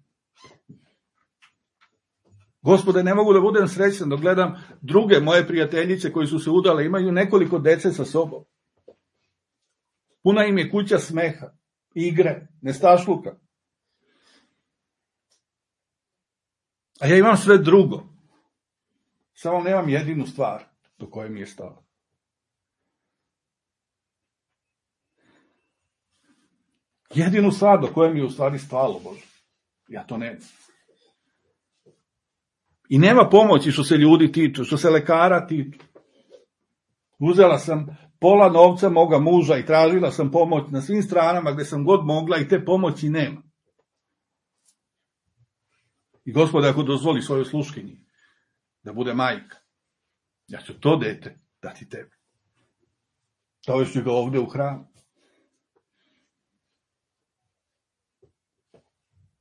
Gospode, ne mogu da budem srećan dok gledam druge moje prijateljice koji su se udale, imaju nekoliko dece sa sobom. Puna im je kuća smeha, igre, nestašluka. A ja imam sve drugo. Samo nemam jedinu stvar do koje mi je stalo. Jedinu stvar do koje mi je u stvari stalo, Bože. Ja to nemam. I nema pomoći što se ljudi tiču, što se lekara tiču. Uzela sam pola novca moga muža i tražila sam pomoć na svim stranama gde sam god mogla i te pomoći nema. I Gospode, ako dozvoli svojoj sluškinji da bude majka, ja ću to dete dati tebi. Dovešću ga ovde u hram.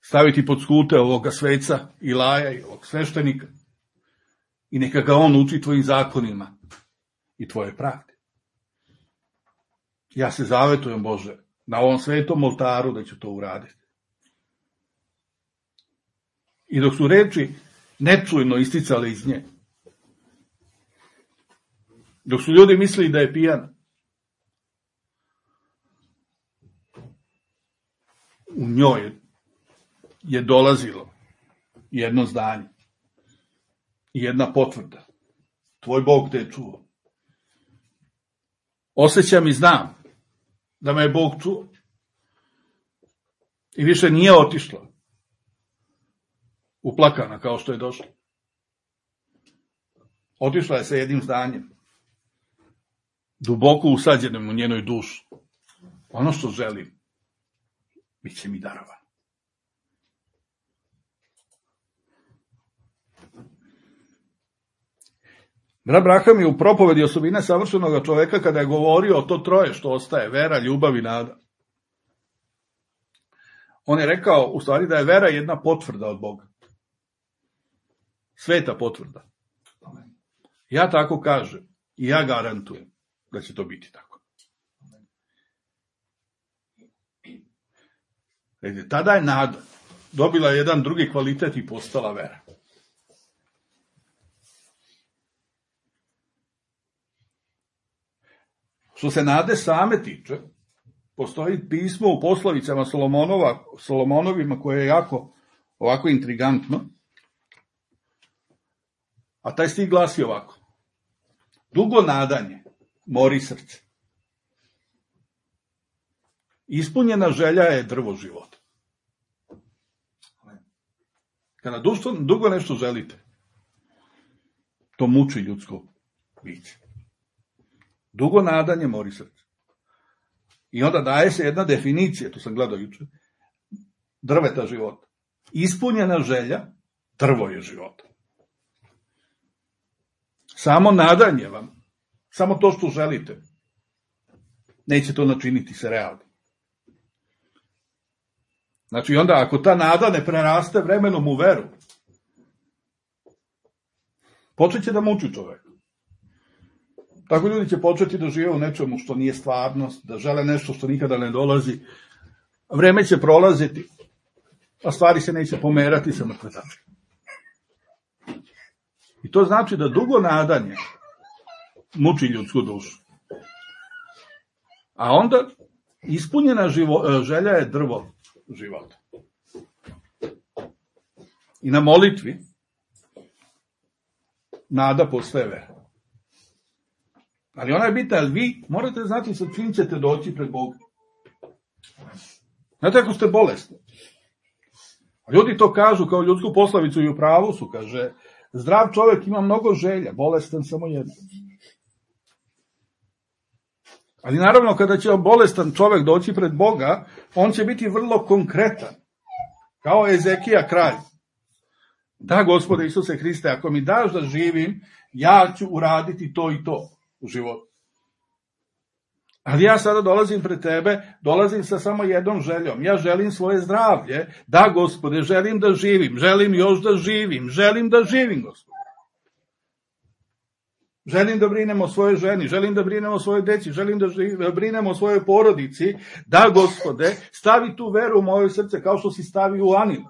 Staviti pod skute ovoga sveca Ilaja i ovog sveštenika i neka ga on uči tvojim zakonima i tvoje pravde. Ja se zavetujem, Bože, na ovom svetom oltaru da ću to uraditi. I dok su reči nečujno isticale iz nje, dok su ljudi mislili da je pijana, u njoj je dolazilo jedno zdanje i jedna potvrda. Tvoj Bog te je čuo. Osjećam i znam da me je Bog čuo. I više nije otišla uplakana kao što je došla. Otišla je sa jednim zdanjem, duboko usađenim u njenoj duši. Ono što želim, bit će mi darovano. Brat Braham je u propovedi osobine savršenog čoveka kada je govorio o to troje što ostaje, vera, ljubav i nada. On je rekao u stvari da je vera jedna potvrda od Boga. Sveta potvrda. Ja tako kažem i ja garantujem da će to biti tako. Tada je nada dobila jedan drugi kvalitet i postala vera. Što se nade same tiče, postoji pismo u poslovicama Solomonovima koje je jako ovako intrigantno, a taj stih glasi ovako: dugo nadanje mori srce. Ispunjena želja je drvo života. Kada dugo nešto želite, to muči ljudsko biće. Dugo nadanje mori srce. I onda daje se jedna definicija, to sam gledao juče, drveta života. Ispunjena želja, drvo je života. Samo nadanje vam, samo to što želite, neće to načiniti se realno. Znači, onda ako ta nada ne preraste vremenom u veru, počet će da muči čovek. Tako ljudi će početi da žive u nečemu što nije stvarnost, da žele nešto što nikada ne dolazi. Vreme će prolaziti, a stvari se neće pomerati sa mrtve tačke. I to znači da dugo nadanje muči ljudsku dušu. A onda ispunjena želja je drvo života. I na molitvi nada postaje vera. Ali ona je bitna, ali vi morate znati sa čim ćete doći pred Boga. Znate ako ste bolesni. Ljudi to kažu kao ljudsku poslovicu i u pravu su, kaže, zdrav čovjek ima mnogo želja, bolestan samo jedan. Ali naravno kada će bolestan čovjek doći pred Boga, on će biti vrlo konkretan. Kao Ezekija kralj. Da, Gospode Isuse Hriste, ako mi daš da živim, ja ću uraditi to i to u životu. Ali ja sada dolazim pred tebe, dolazim sa samo jednom željom. Ja želim svoje zdravlje. Da, Gospode, želim da živim, želim još da živim, želim da živim, Gospode. Želim da brinem o svojoj ženi, želim da brinem o svojoj deci, želim da brinem o svojoj porodici. Da, Gospode, stavi tu veru u moje srce kao što si stavio u Aninu.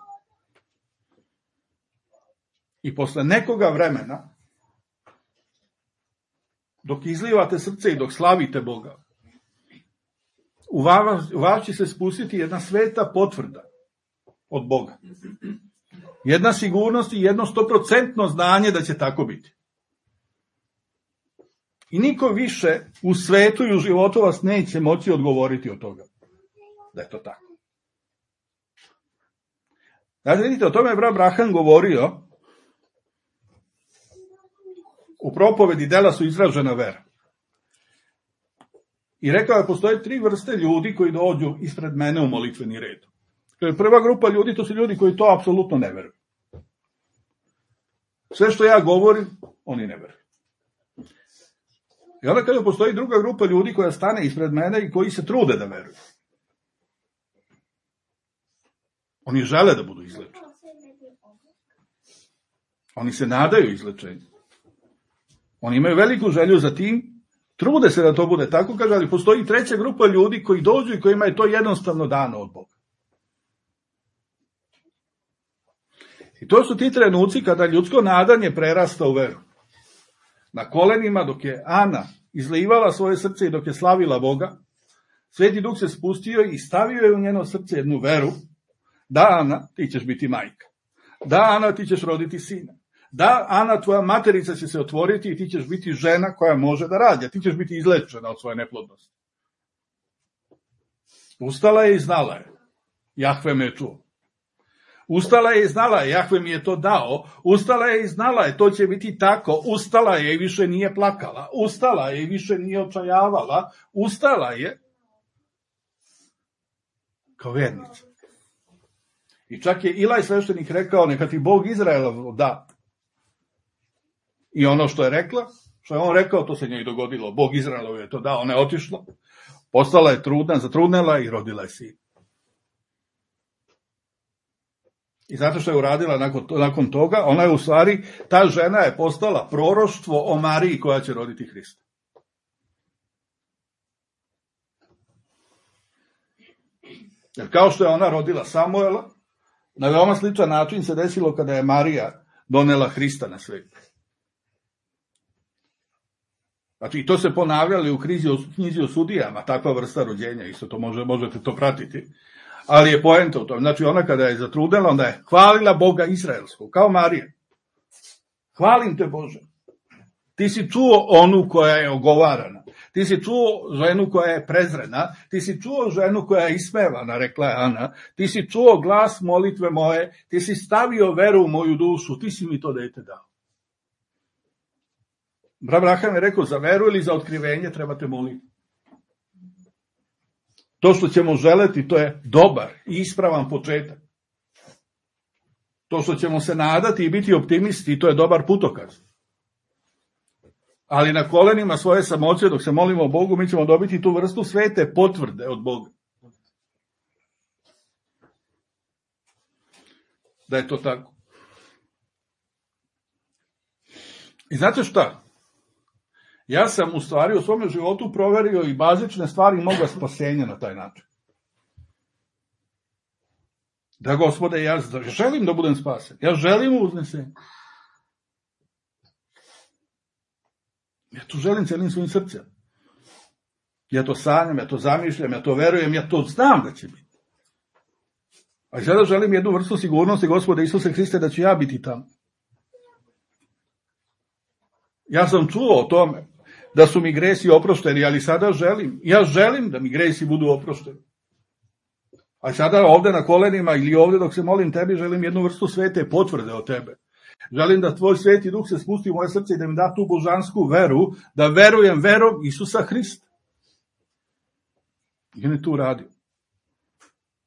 I posle nekoga vremena, dok izlivate srce i dok slavite Boga, u vas će se spustiti jedna sveta potvrda od Boga. Jedna sigurnost i jedno 100% znanje da će tako biti. I niko više u svetu i u životu vas neće moći odgovoriti od toga. Da je to tako. Znači, vidite, o tome je brat Braham govorio u propovedi Dela su izražena vera. I rekao je, postoje 3 vrste ljudi koji dođu ispred mene u molitveni red. Prva grupa ljudi, to su ljudi koji to apsolutno ne veruju. Sve što ja govorim, oni ne veruju. I onda kada postoji druga grupa ljudi koja stane ispred mene i koji se trude da veruju. Oni žele da budu izlečeni. Oni se nadaju izlečenju. Oni imaju veliku želju za tim, trude se da to bude tako, kaže, ali postoji 3. grupa ljudi koji dođu i kojima je to jednostavno dano od Boga. I to su ti trenuci kada ljudsko nadanje prerasta u veru. Na kolenima dok je Ana izlivala svoje srce i dok je slavila Boga, Sveti Duh se spustio i stavio je u njeno srce jednu veru, da, Ana, ti ćeš biti majka. Da, Ana, ti ćeš roditi sina. Da, Ana, tvoja materica će se otvoriti i ti ćeš biti žena koja može da rađa. Ti ćeš biti izlečena od svoje neplodnosti. Ustala je i znala je. Jahve me je čuo. Ustala je i znala je, Jahve mi je to dao. Ustala je i znala je, to će biti tako. Ustala je i više nije plakala. Ustala je i više nije očajavala. Ustala je kao vernica. I čak je Ilaj sveštenik rekao, neka ti Bog Izraela da. I ono što je rekla, što je on rekao, to se njoj dogodilo. Bog Izraelov je to dao, ona je otišla, postala je trudna, zatrudnela i rodila je sin. I zato što je uradila nakon toga, ona je u stvari, ta žena je postala proroštvo o Mariji koja će roditi Hrista. Jer kao što je ona rodila Samuela, na veoma sličan način se desilo kada je Marija donela Hrista na svijet. Znači, i to se ponavljali u knjizi o sudijama, takva vrsta rođenja, isto to možete to pratiti. Ali je poenta u tome. Znači, ona kada je zatrudnela, onda je hvalila Boga Izraelskog, kao Marija. Hvalim te, Bože. Ti si čuo onu koja je ogovarana. Ti si čuo ženu koja je prezrena. Ti si čuo ženu koja je ismevana, rekla je Ana. Ti si čuo glas molitve moje. Ti si stavio veru u moju dušu. Ti si mi to dete dao. Braham je rekao, za veru ili za otkrivenje trebate moliti. To što ćemo želeti, to je dobar i ispravan početak. To što ćemo se nadati i biti optimisti, to je dobar putokaz. Ali na kolenima svoje samoće, dok se molimo Bogu, mi ćemo dobiti tu vrstu svete potvrde od Boga. Da je to tako. I znate šta? Ja sam u stvari u svom životu proverio i bazične stvari moga spasenja na taj način. Da, Gospode, ja želim da budem spasen. Ja želim uznesenje. Ja to želim celim svojim srcem. Ja to sanjam, ja to zamišljam, ja to verujem, ja to znam da će biti. A i sada želim jednu vrstu sigurnosti, Gospode Isuse Hriste, da ću ja biti tamo. Ja sam čuo o tome da su mi gresi oprošteni, ali sada ja želim da mi gresi budu oprošteni. A sada ovde na kolenima ili ovde dok se molim tebi, želim jednu vrstu svete potvrde od tebe. Želim da tvoj sveti duh se spusti u moje srce i da mi da tu božansku veru, da verujem verom Isusa Hrista. I on je tu radio.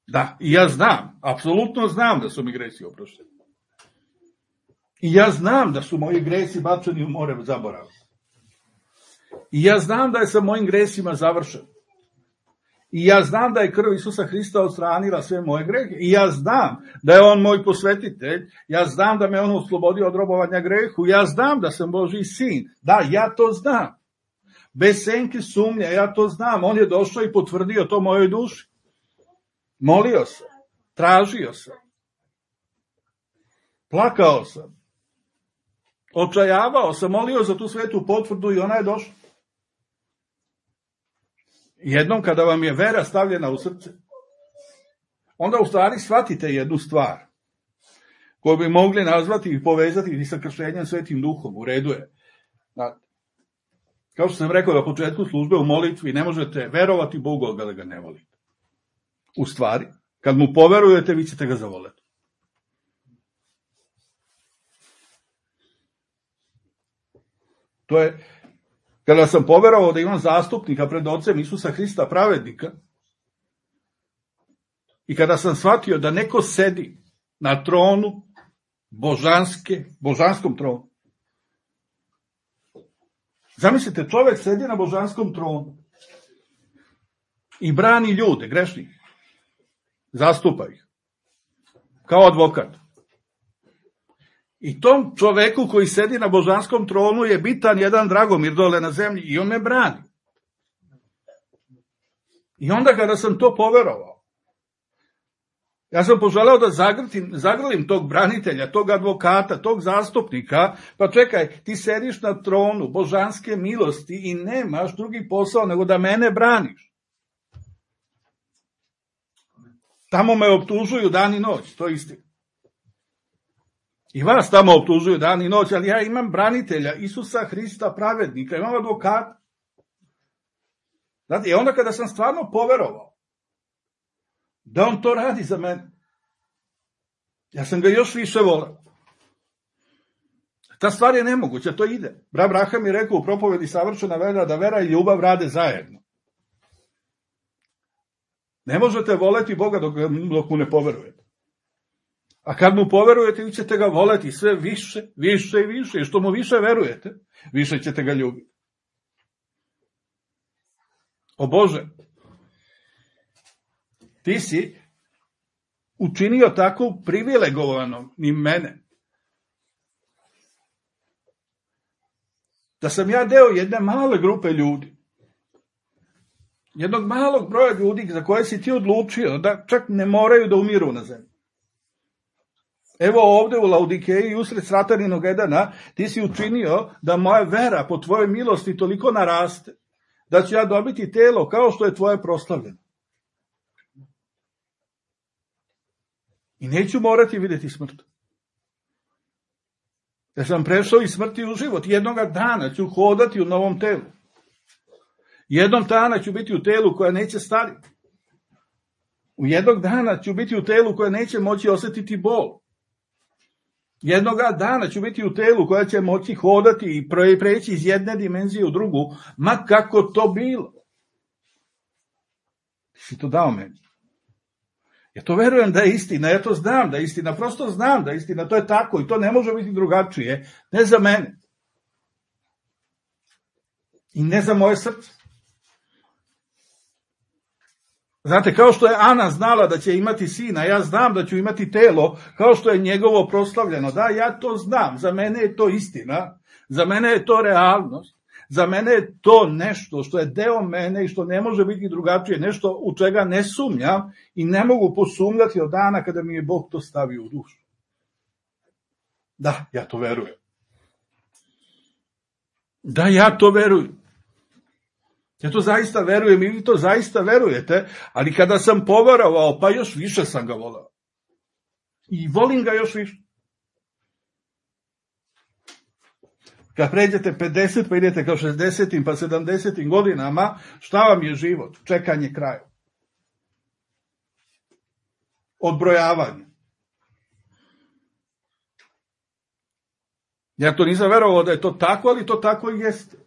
Da, i ja znam, apsolutno znam da su mi gresi oprošteni. I ja znam da su moji gresi bačeni u more zaborava. I ja znam da je sa mojim gresima završen. I ja znam da je krv Isusa Hrista odstranila sve moje grehe. I ja znam da je on moj posvetitelj. Ja znam da me on oslobodio od robovanja grehu. Ja znam da sam Božji sin. Da, ja to znam. Bez senke sumnje, ja to znam. On je došao i potvrdio to mojoj duši. Molio sam. Tražio sam. Plakao sam. Očajavao sam. Molio za tu svetu potvrdu i ona je došla. Jednom kada vam je vera stavljena u srce, onda u stvari shvatite jednu stvar koju bi mogli nazvati i povezati i sa krštenjem Svetim Duhom. U redu je. Kao što sam rekao na početku službe, u molitvi ne možete verovati Bogu, da ga ne volite. U stvari, kad mu poverujete, vi ćete ga zavoleti. To je, kada sam poverovao da imam zastupnika pred ocem Isusa Hrista pravednika i kada sam shvatio da neko sedi na tronu božanskom tronu. Zamislite, čovjek sedi na božanskom tronu i brani ljude, grešnike. Zastupa ih. Kao advokat. I tom čoveku koji sedi na božanskom tronu je bitan jedan Dragomir dole na zemlji i on me brani. I onda kada sam to poverovao, ja sam poželeo da zagrlim tog branitelja, tog advokata, tog zastupnika, pa čekaj, ti sediš na tronu božanske milosti i nemaš drugi posao nego da mene braniš. Tamo me optužuju dan i noć, to je istina. I vas tamo optužuju dan i noć, ali ja imam branitelja, Isusa Hrista pravednika, imam advokata. Znate, i onda kada sam stvarno poverovao da on to radi za mene, ja sam ga još više voleo. Ta stvar je nemoguća, to ide. Brat Braham je rekao u propovedi Savršena vera da vera i ljubav rade zajedno. Ne možete voleti Boga dok mu ne poverujete. A kad mu poverujete, vi ćete ga voleti sve više, više i više. I što mu više verujete, više ćete ga ljubiti. O Bože, ti si učinio tako privilegovano ni mene, da sam ja deo jedne male grupe ljudi, jednog malog broja ljudi za koje si ti odlučio da čak ne moraju da umiru na zemlji. Evo ovde u Laodikeji, usred Srataninog Edena, ti si učinio da moja vera po tvojoj milosti toliko naraste, da ću ja dobiti telo kao što je tvoje proslavljeno. I neću morati vidjeti smrt. Ja sam prešao iz smrti u život. Jednoga dana ću hodati u novom telu. Jednog dana ću biti u telu koja neće stariti. U jednog dana ću biti u telu koja neće moći osjetiti bol. Jednoga dana ću biti u telu koja će moći hodati i preći iz jedne dimenzije u drugu, ma kako to bilo. Ti si to dao meni. Ja to verujem da je istina, ja to znam da je istina, prosto znam da je istina, to je tako i to ne može biti drugačije, ne za mene. I ne za moje srce. Znate, kao što je Ana znala da će imati sina, ja znam da ću imati telo, kao što je njegovo proslavljeno. Da, ja to znam, za mene je to istina, za mene je to realnost, za mene je to nešto što je deo mene i što ne može biti drugačije, nešto u čega ne sumnjam i ne mogu posumnjati od dana kada mi je Bog to stavio u dušu. Da, ja to verujem. Da, ja to verujem. Ja to zaista verujem i vi to zaista verujete, ali kada sam poverovao, pa još više sam ga volao. I volim ga još više. Kad pređete 50, pa idete kao 60. pa 70. godinama, šta vam je život? Čekanje kraja. Odbrojavanje. Ja to nisam verovao da je to tako, ali to tako i jeste.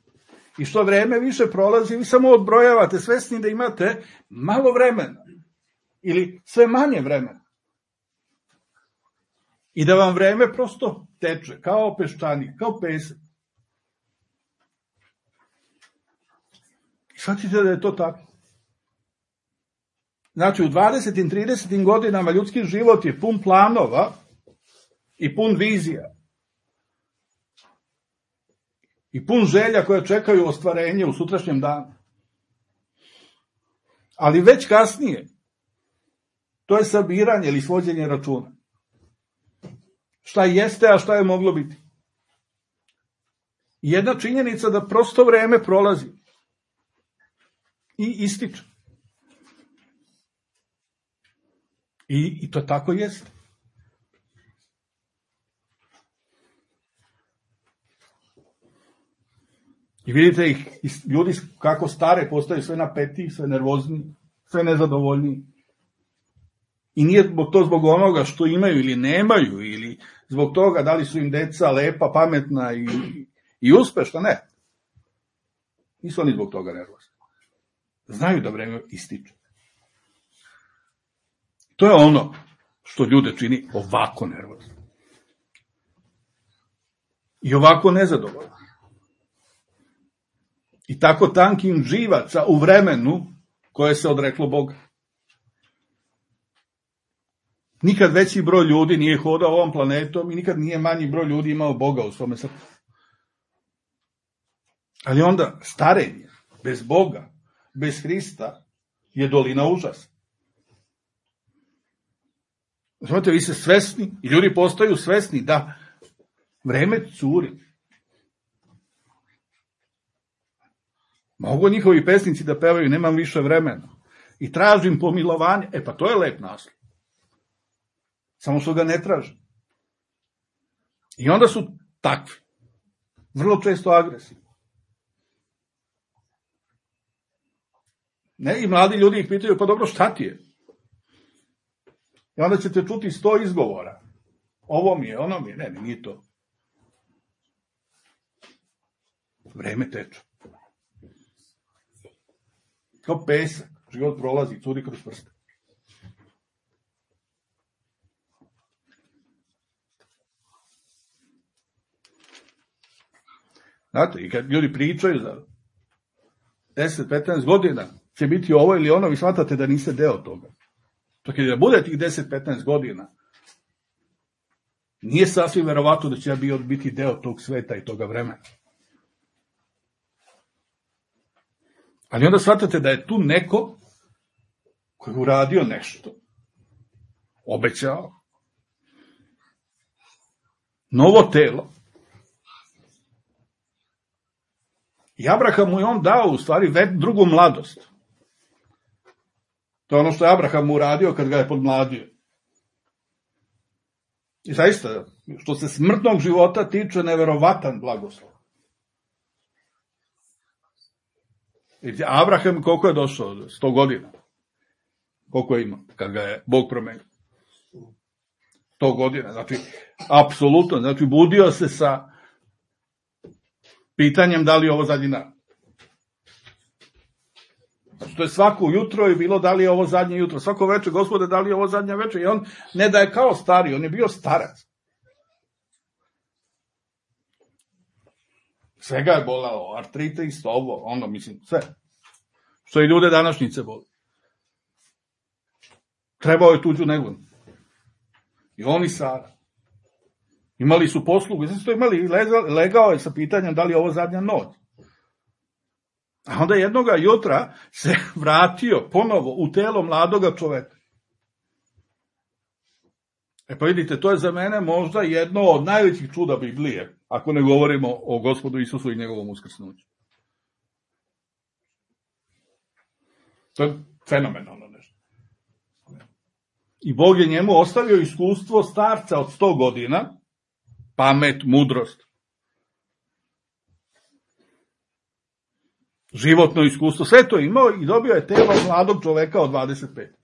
I što vreme više prolazi, vi samo odbrojavate, svesni da imate malo vremena. Ili sve manje vremena. I da vam vreme prosto teče, kao peščanik, kao pesak. I shvatite da je to tako. Znači, u 20. i 30. godinama ljudski život je pun planova i pun vizija. I pun želja koje čekaju ostvarenje u sutrašnjem danu. Ali već kasnije, to je sabiranje ili svođenje računa. Šta jeste, a šta je moglo biti. Jedna činjenica da prosto vreme prolazi i ističe. I to tako jeste. I vidite ih, ljudi kako stare postaju sve napetiji, sve nervozniji, sve nezadovoljniji. I nije to zbog onoga što imaju ili nemaju, ili zbog toga da li su im deca lepa, pametna i uspešna, ne. Nisu oni zbog toga nervozni. Znaju da vreme ističe. To je ono što ljude čini ovako nervozni. I ovako nezadovoljni. I tako tankim živaca u vremenu koje se odreklo Boga. Nikad veći broj ljudi nije hodao ovom planetom i nikad nije manji broj ljudi imao Boga u svome srcu. Ali onda starenje bez Boga, bez Hrista je dolina užasa. Znate, vi ste svesni i ljudi postaju svesni da vreme curi. Mogu njihovi pesnici da pevaju, nemam više vremena. I tražim pomilovanje. Pa to je lep naslov. Samo što ga ne tražim. I onda su takvi. Vrlo često agresivni. Ne, i mladi ljudi ih pitaju, pa dobro, šta ti je? I onda ćete čuti 100 izgovora. Ovo mi je, ono mi je. Ne, nije to. Vreme teče. Kao pesak, život prolazi, curi kroz prste. Znate, i kad ljudi pričaju za 10-15 godina, će biti ovo ili ono, vi shvatate da niste deo toga. Čak i da bude tih 10-15 godina, nije sasvim verovatno da će ja biti deo tog sveta i toga vremena. Ali onda shvatate da je tu neko koji je uradio nešto, obećao, novo telo. I Abraham mu je on dao u stvari drugu mladost. To je ono što je Abraham mu uradio kad ga je podmladio. I zaista, što se smrtnog života tiče, neverovatan blagoslov. Abraham koliko je došao? 100 godina. Koliko je imao kad ga je Bog promenio? 100 godina. Znači, apsolutno. Znači, budio se sa pitanjem da li je ovo zadnji dan. Znači, to je svako jutro je bilo da li je ovo zadnje jutro. Svako večer, Gospode, da li je ovo zadnje večer. I on ne da je kao stari, on je bio starac. Svega je bolalo, artritis, ovo, ono, mislim, sve. Što i ljude današnjice boli. Trebao je tuđu negu. I on i Sara. Imali su poslugu, znači to imali, legao je sa pitanjem da li je ovo zadnja noć. A onda jednoga jutra se vratio ponovo u telo mladoga čoveka. Pa vidite, to je za mene možda jedno od najvećih čuda Biblije, ako ne govorimo o Gospodu Isusu i njegovom uskrsnuću. To je fenomenalno nešto. I Bog je njemu ostavio iskustvo starca od 100 godina, pamet, mudrost, životno iskustvo, sve to imao i dobio je telo mladog čoveka od 25.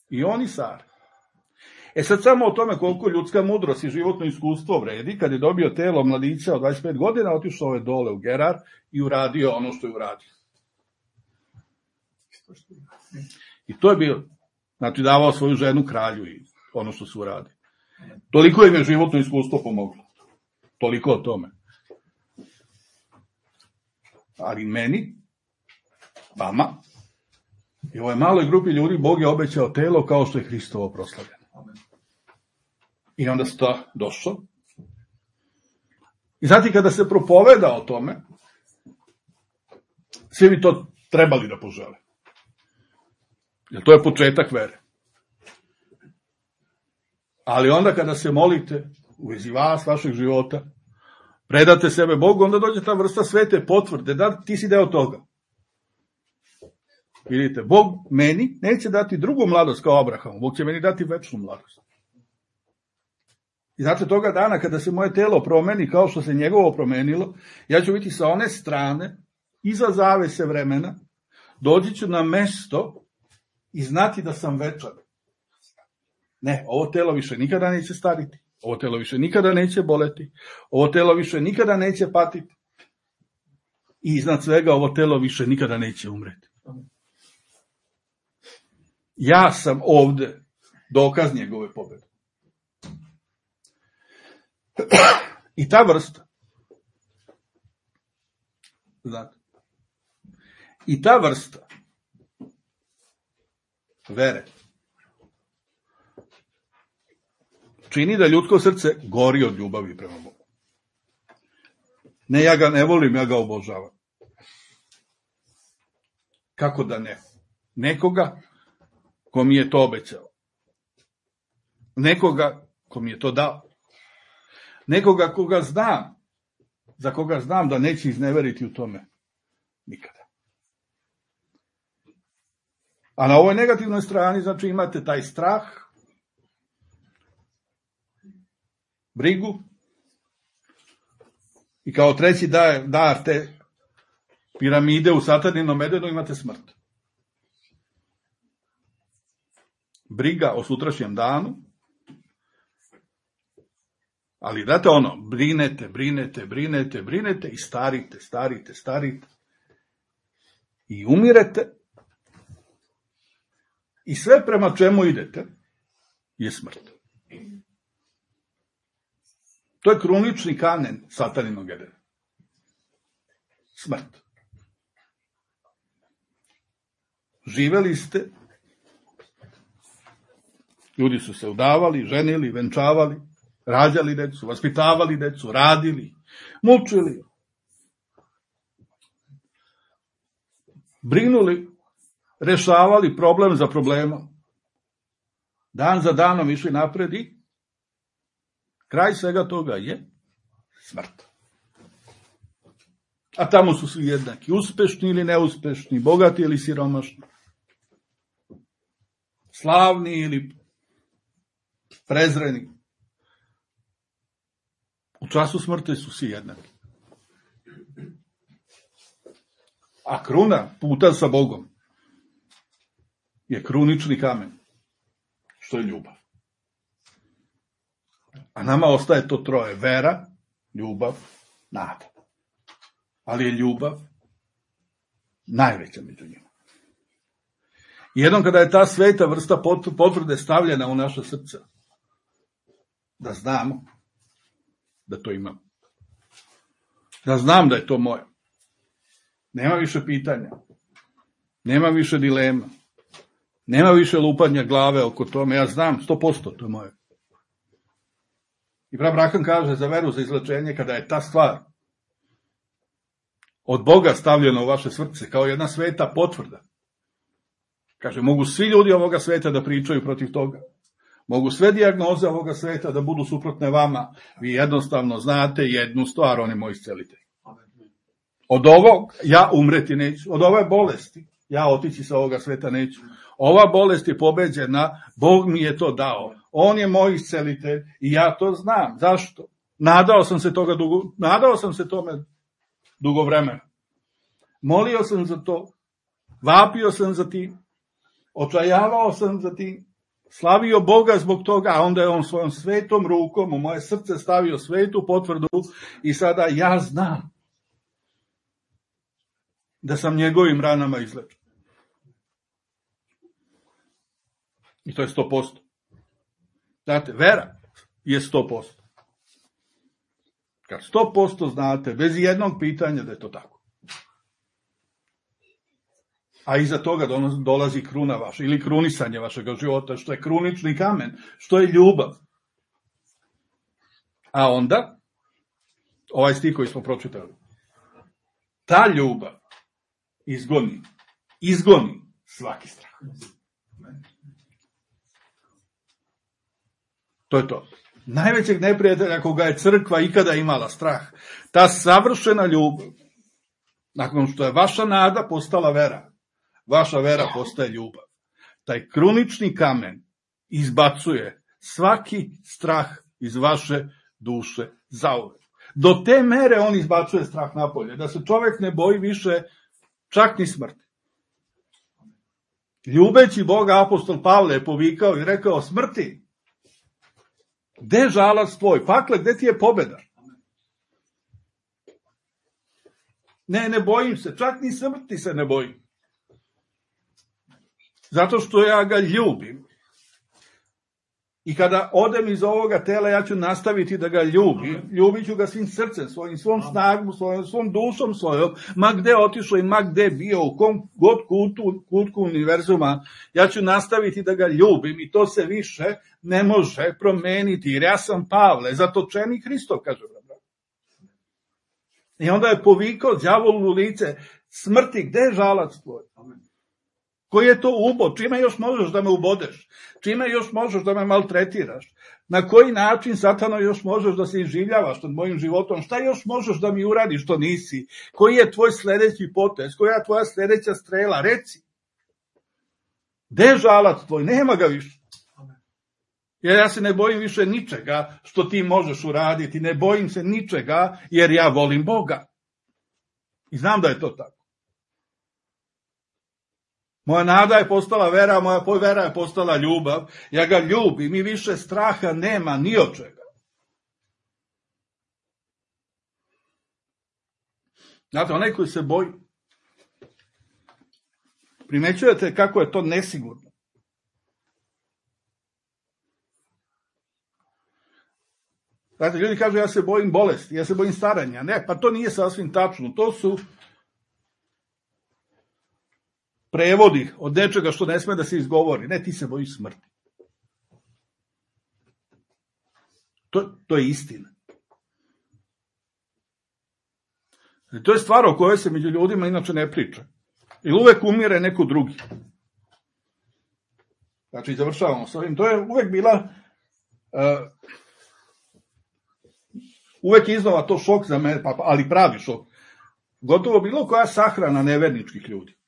I on i Sara. Sad samo o tome koliko ljudska mudrost i životno iskustvo vredi, kad je dobio telo mladića od 25 godina, otišao je dole u Gerar i uradio ono što je uradio. I to je bio, znači davao svoju ženu kralju i ono što su uradili. Toliko im je životno iskustvo pomoglo. Toliko o tome. Ali meni, vama, i ovoj maloj grupi ljudi Bog je obećao telo kao što je Hristovo proslavljeno. I onda sta došao. I znate, kada se propoveda o tome, svi bi to trebali da požele. Jer to je početak vere. Ali onda kada se molite u vezi vas, vašeg života, predate sebe Bogu, onda dođe ta vrsta svete potvrde, da ti si deo toga. Vidite, Bog meni neće dati drugu mladost kao Abrahamu, Bog će meni dati večnu mladost. I znate, toga dana kada se moje telo promeni kao što se njegovo promenilo, ja ću biti sa one strane, iza zavese vremena, doći ću na mesto i znati da sam večan. Ne, ovo telo više nikada neće stariti, ovo telo više nikada neće boleti, ovo telo više nikada neće patiti i iznad svega ovo telo više nikada neće umreti. Ja sam ovde dokaz njegove pobjede. I ta vrsta, znate, i ta vrsta vere čini da ljudsko srce gori od ljubavi prema Bogu. Ne, ja ga ne volim, ja ga obožavam. Kako da ne? Nekoga ko mi je to obećao. Nekoga ko mi je to dao. Nekoga koga znam, za koga znam da neće izneveriti u tome nikada. A na ovoj negativnoj strani, znači, imate taj strah, brigu i kao treći dar te piramide u Sataninom medenu imate smrt. Briga o sutrašnjem danu, ali date ono, brinete i starite i umirete i sve prema čemu idete je smrt. To je krunični kamen Sataninog Edena. Smrt. Živeli ste, ljudi su se udavali, ženili, venčavali, rađali decu, vaspitavali decu, radili, mučili, brinuli, rešavali problem za problemom. Dan za danom išli napred i kraj svega toga je smrt. A tamo su svi jednaki, uspešni ili neuspešni, bogati ili siromašni, slavni ili prezreni. U času smrti su svi jednaki. A kruna puta sa Bogom je krunični kamen, što je ljubav. A nama ostaje to troje: vera, ljubav, nada. Ali je ljubav najveća među njima. Jednom kada je ta sveta vrsta potvrde stavljena u naša srca, da znamo da to imam. Da znam da je to moje. Nema više pitanja. Nema više dilema. Nema više lupanja glave oko tome. Ja znam 100% to je moje. I brat Branham kaže za veru, za izlečenje, kada je ta stvar od Boga stavljena u vaše srce kao jedna sveta potvrda. Kaže, mogu svi ljudi ovoga sveta da pričaju protiv toga. Mogu sve dijagnoze ovoga sveta da budu suprotne vama. Vi jednostavno znate jednu stvar, on je moj iscelitelj. Od ovog ja umreti neću. Od ove bolesti ja otići sa ovoga sveta neću. Ova bolest je pobeđena, Bog mi je to dao. On je moj iscelitelj i ja to znam. Zašto? Nadao sam se tome dugo vremena. Molio sam za to. Vapio sam za tim. Očajavao sam za tim. Slavio Boga zbog toga, a onda je on svojom svetom rukom u moje srce stavio svetu potvrdu i sada ja znam da sam njegovim ranama izlečen. I to je 100%. Znate, vera je 100%. Kad 100% znate, bez jednog pitanja da je to tako. A iza toga dolazi kruna vaša, ili krunisanje vašeg života, što je krunični kamen, što je ljubav. A onda, ovaj stih koji smo pročitali, ta ljubav izgoni svaki strah. To je to. Najvećeg neprijatelja koga je crkva ikada imala, strah. Ta savršena ljubav, nakon što je vaša nada postala vera, vaša vera postaje ljubav. Taj krunični kamen izbacuje svaki strah iz vaše duše zauvek. Do te mere on izbacuje strah napolje, da se čovjek ne boji više čak ni smrti. Ljubeći Boga, apostol Pavle je povikao i rekao, smrti, gde je žalac tvoj? Pakle, gde ti je pobjeda? Ne bojim se, čak ni smrti se ne bojim. Zato što ja ga ljubim. I kada odem iz ovoga tela, ja ću nastaviti da ga ljubim. Ljubit ću ga svim srcem svojim, svom snagom svojom, svom dušom svojom, ma gde otišao i ma gde bio, u kom god kutku univerzuma, ja ću nastaviti da ga ljubim i to se više ne može promeniti, jer ja sam Pavle, zatočeni Hristov, kaže brat. I onda je povikao đavolu u lice, smrti, gde je žalac tvoj? Koji je to ubod? Čime još možeš da me ubodeš? Čime još možeš da me maltretiraš? Na koji način, satano, još možeš da se iživljavaš nad mojim životom? Šta još možeš da mi uradiš što nisi? Koji je tvoj sljedeći potez? Koja je tvoja sljedeća strela? Reci. Gde je žalac tvoj? Nema ga više. Jer ja se ne bojim više ničega što ti možeš uraditi. Ne bojim se ničega jer ja volim Boga. I znam da je to tako. Moja nada je postala vera, moja vera je postala ljubav. Ja ga ljubim i više straha nema ni od čega. Znate, onaj koji se boji, primećujete kako je to nesigurno. Znate, ljudi kažu ja se bojim bolesti, ja se bojim staranja. Ne, pa to nije sasvim tačno. To su prevodi od nečega što ne sme da se izgovori. Ne, ti se bojiš smrti. To je istina. I to je stvar o kojoj se među ljudima inače ne priča. I uvek umire neko drugi. Znači, završavamo s ovim. To je uvek bila uvek iznova to šok za mene, ali pravi šok. Gotovo bilo koja sahrana neverničkih ljudi.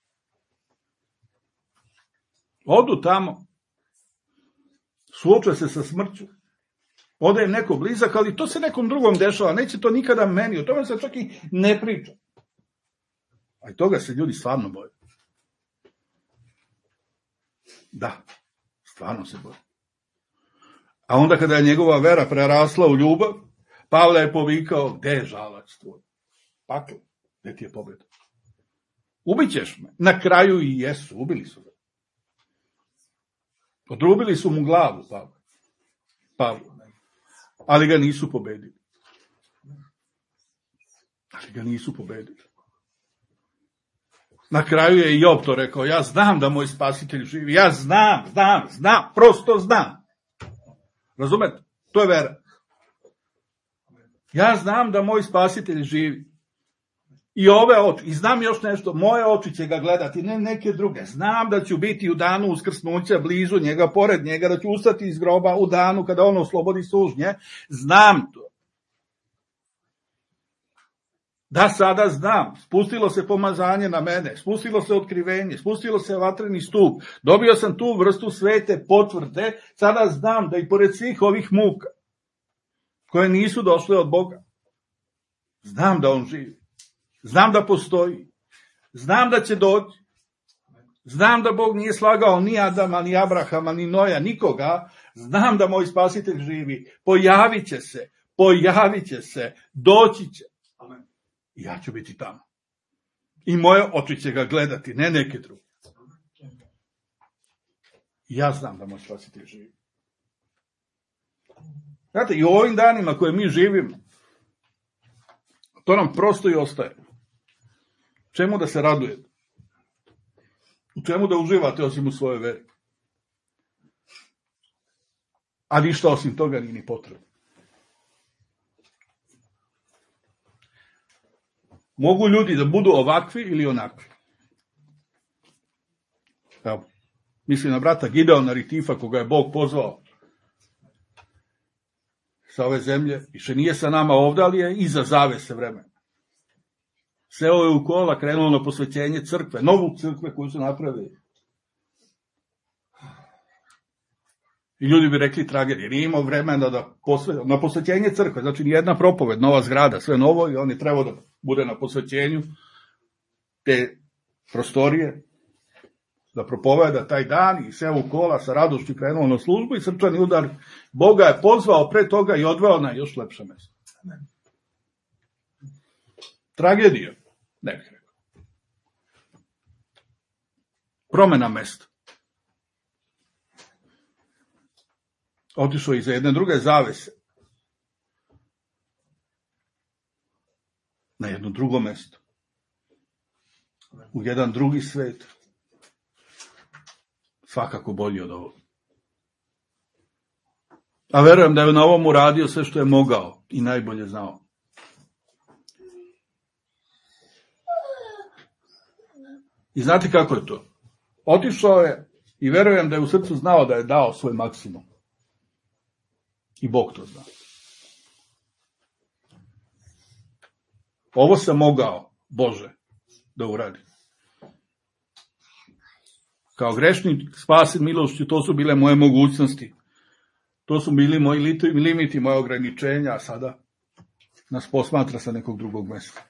Odu tamo, suoče se sa smrću, ode im neko blizak, ali to se nekom drugom dešava, neće to nikada meni, o tome se čak i ne priča. A i toga se ljudi stvarno boje. Da, stvarno se boje. A onda kada je njegova vera prerasla u ljubav, Pavle je povikao, gde je žalac tvoj? Pakle, gde ti je pobjeda? Ubićeš me. Na kraju i jesu, ubili su ga. Odrubili su mu glavu, Pavle. Ali ga nisu pobedili. Ali ga nisu pobedili. Na kraju je i Job to rekao, ja znam da moj spasitelj živi, ja znam, prosto znam. Razumete? To je vera. Ja znam da moj spasitelj živi. I ove oči, i znam još nešto, moje oči će ga gledati, ne neke druge. Znam da ću biti u danu uskrsnuća blizu njega, pored njega, da ću ustati iz groba u danu kada on oslobodi sužnje. Znam to. Da, sada znam, spustilo se pomazanje na mene, spustilo se otkrivenje, spustilo se vatreni stup, dobio sam tu vrstu svete potvrde, sada znam da i pored svih ovih muka, koje nisu došle od Boga, znam da on živi, znam da postoji, znam da će doći, znam da Bog nije slagao ni Adama, ni Abrahama, ni Noja, nikoga, znam da moj spasitelj živi, pojavit će se, doći će. I ja ću biti tamo. I moje oči će ga gledati, ne neke druge. Ja znam da moj spasitelj živi. Znate, i u ovim danima koje mi živimo, to nam prosto i ostaje. Čemu da se radujete? U čemu da uživate osim u svojoj veri? A ništa osim toga nije ni potrebno. Mogu ljudi da budu ovakvi ili onakvi. Evo, mislim na brata Gideona Ritifa, koga je Bog pozvao sa ove zemlje. Više nije sa nama ovdje, ali je iza zavese vremena. Seo je u kola, krenulo na posvećenje crkve, novu crkve koju su napravili. I ljudi bi rekli tragedije, nije imao vremena da na posvećenje crkve, znači nijedna propoved, nova zgrada, sve novo, i on je trebao da bude na posvećenju te prostorije, da propoveda taj dan, i seo u kola sa radošću krenuo na službu i srčani udar Boga je pozvao pre toga i odveo na još lepše mesto. Tragedija, ne bih rekao. Promena mesta. Otišao iza jedne druge zavese na jedno drugo mesto, u jedan drugi svet, svakako bolji od ovog. A verujem da je na ovom uradio sve što je mogao i najbolje znao. I znate kako je to? Otišao je i verujem da je u srcu znao da je dao svoj maksimum. I Bog to zna. Ovo sam mogao, Bože, da uradim. Kao grešnik, spasen milošću, to su bile moje mogućnosti. To su bili moji limiti, moje ograničenja, a sada nas posmatra sa nekog drugog mesta.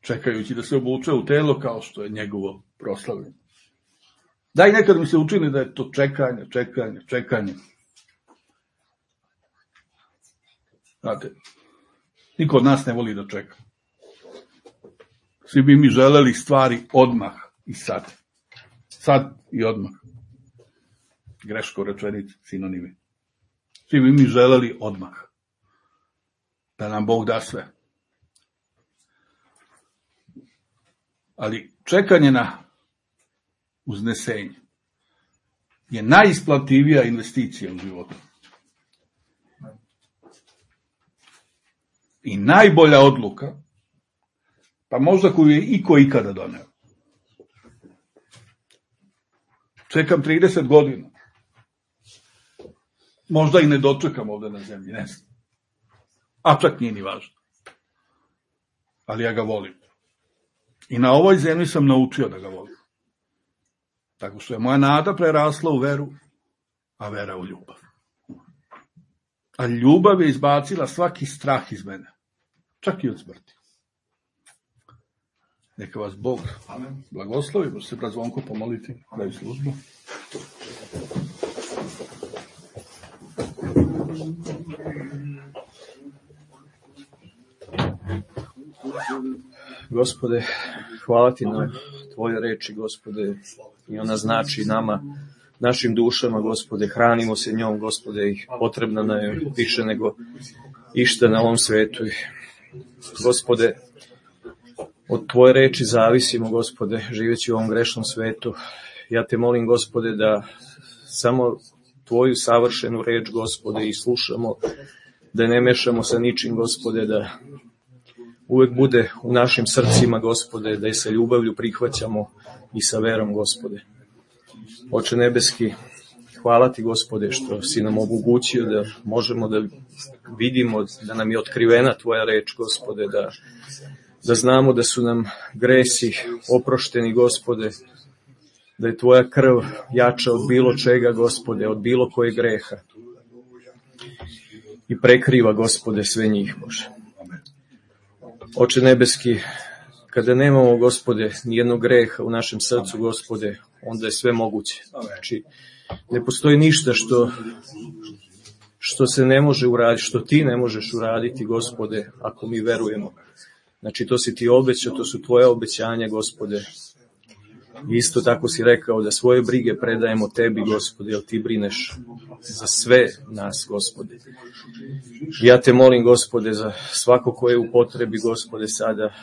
Čekajući da se obuče u telo kao što je njegovo proslavljeno. Da, i nekad mi se učini da je to čekanje. Znate, niko od nas ne voli da čeka. Svi bi mi želeli stvari odmah i sad. Sad i odmah. Greško rečenice, sinonimi. Svi bi mi želeli odmah. Da nam Bog da sve. Ali čekanje na uznesenje je najisplativija investicija u životu. I najbolja odluka, pa možda koju je iko ikada doneo. Čekam 30 godina. Možda i ne dočekam ovdje na zemlji, ne znam. A čak nije ni važno. Ali ja ga volim. I na ovoj zemlji sam naučio da ga volim. Tako što je moja nada prerasla u veru, a vera u ljubav. A ljubav je izbacila svaki strah iz mene. Čak i od smrti. Neka vas Bog blagoslovi. Može se brat Zvonko pomoliti da je službu. Gospode, hvala ti na tvoje reči, Gospode, i ona znači nama, našim dušama, Gospode, hranimo se njom, Gospode, i potrebna nam je više nego išta na ovom svetu. Gospode, od tvoje reči zavisimo, Gospode, živeći u ovom grešnom svetu. Ja te molim, Gospode, da samo tvoju savršenu reč, Gospode, i slušamo, da ne mešamo sa ničim, Gospode, da uvek bude u našim srcima, Gospode, da je sa ljubavlju prihvaćamo i sa verom, Gospode. Oče nebeski, hvala ti, Gospode, što si nam omogućio da možemo da vidimo, da nam je otkrivena tvoja reč, Gospode, da znamo da su nam gresi oprošteni, Gospode, da je tvoja krv jača od bilo čega, Gospode, od bilo kojeg greha i prekriva, Gospode, sve njih, Bože. Oče nebeski, kada nemamo, Gospode, nijednog greha u našem srcu, Gospode, onda je sve moguće. Znači, ne postoji ništa što se ne može uraditi, što ti ne možeš uraditi, Gospode, ako mi verujemo. Znači, to si ti obećao, to su tvoje obećanja, Gospode. Isto tako si rekao da svoje brige predajemo tebi, Gospode, jer ti brineš za sve nas, Gospode. Ja te molim, Gospode, za svako ko je u potrebi, Gospode, sada.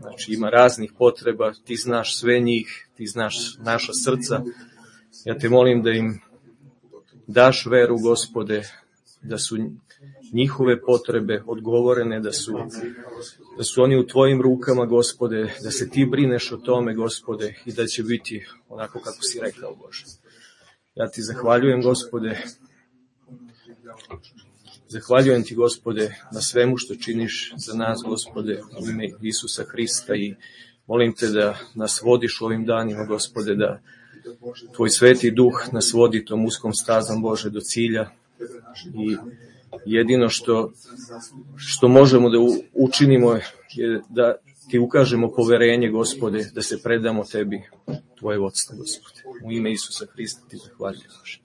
Znači, ima raznih potreba, ti znaš sve njih, ti znaš naša srca. Ja te molim da im daš veru, Gospode, da su njihove potrebe odgovorene, da su oni u tvojim rukama, Gospode, da se ti brineš o tome, Gospode, i da će biti onako kako si rekao, Bože. Ja ti zahvaljujem, Gospode, zahvaljujem ti, Gospode, na svemu što činiš za nas, Gospode, u ime Isusa Hrista, i molim te da nas vodiš u ovim danima, Gospode, da tvoj sveti duh nas vodi tom uskom stazom, Bože, do cilja, i jedino što možemo da učinimo je da ti ukažemo poverenje, Gospode, da se predamo tebi, tvoje vodstvo, Gospode. U ime Isusa Hrista ti zahvaljujem, Bože.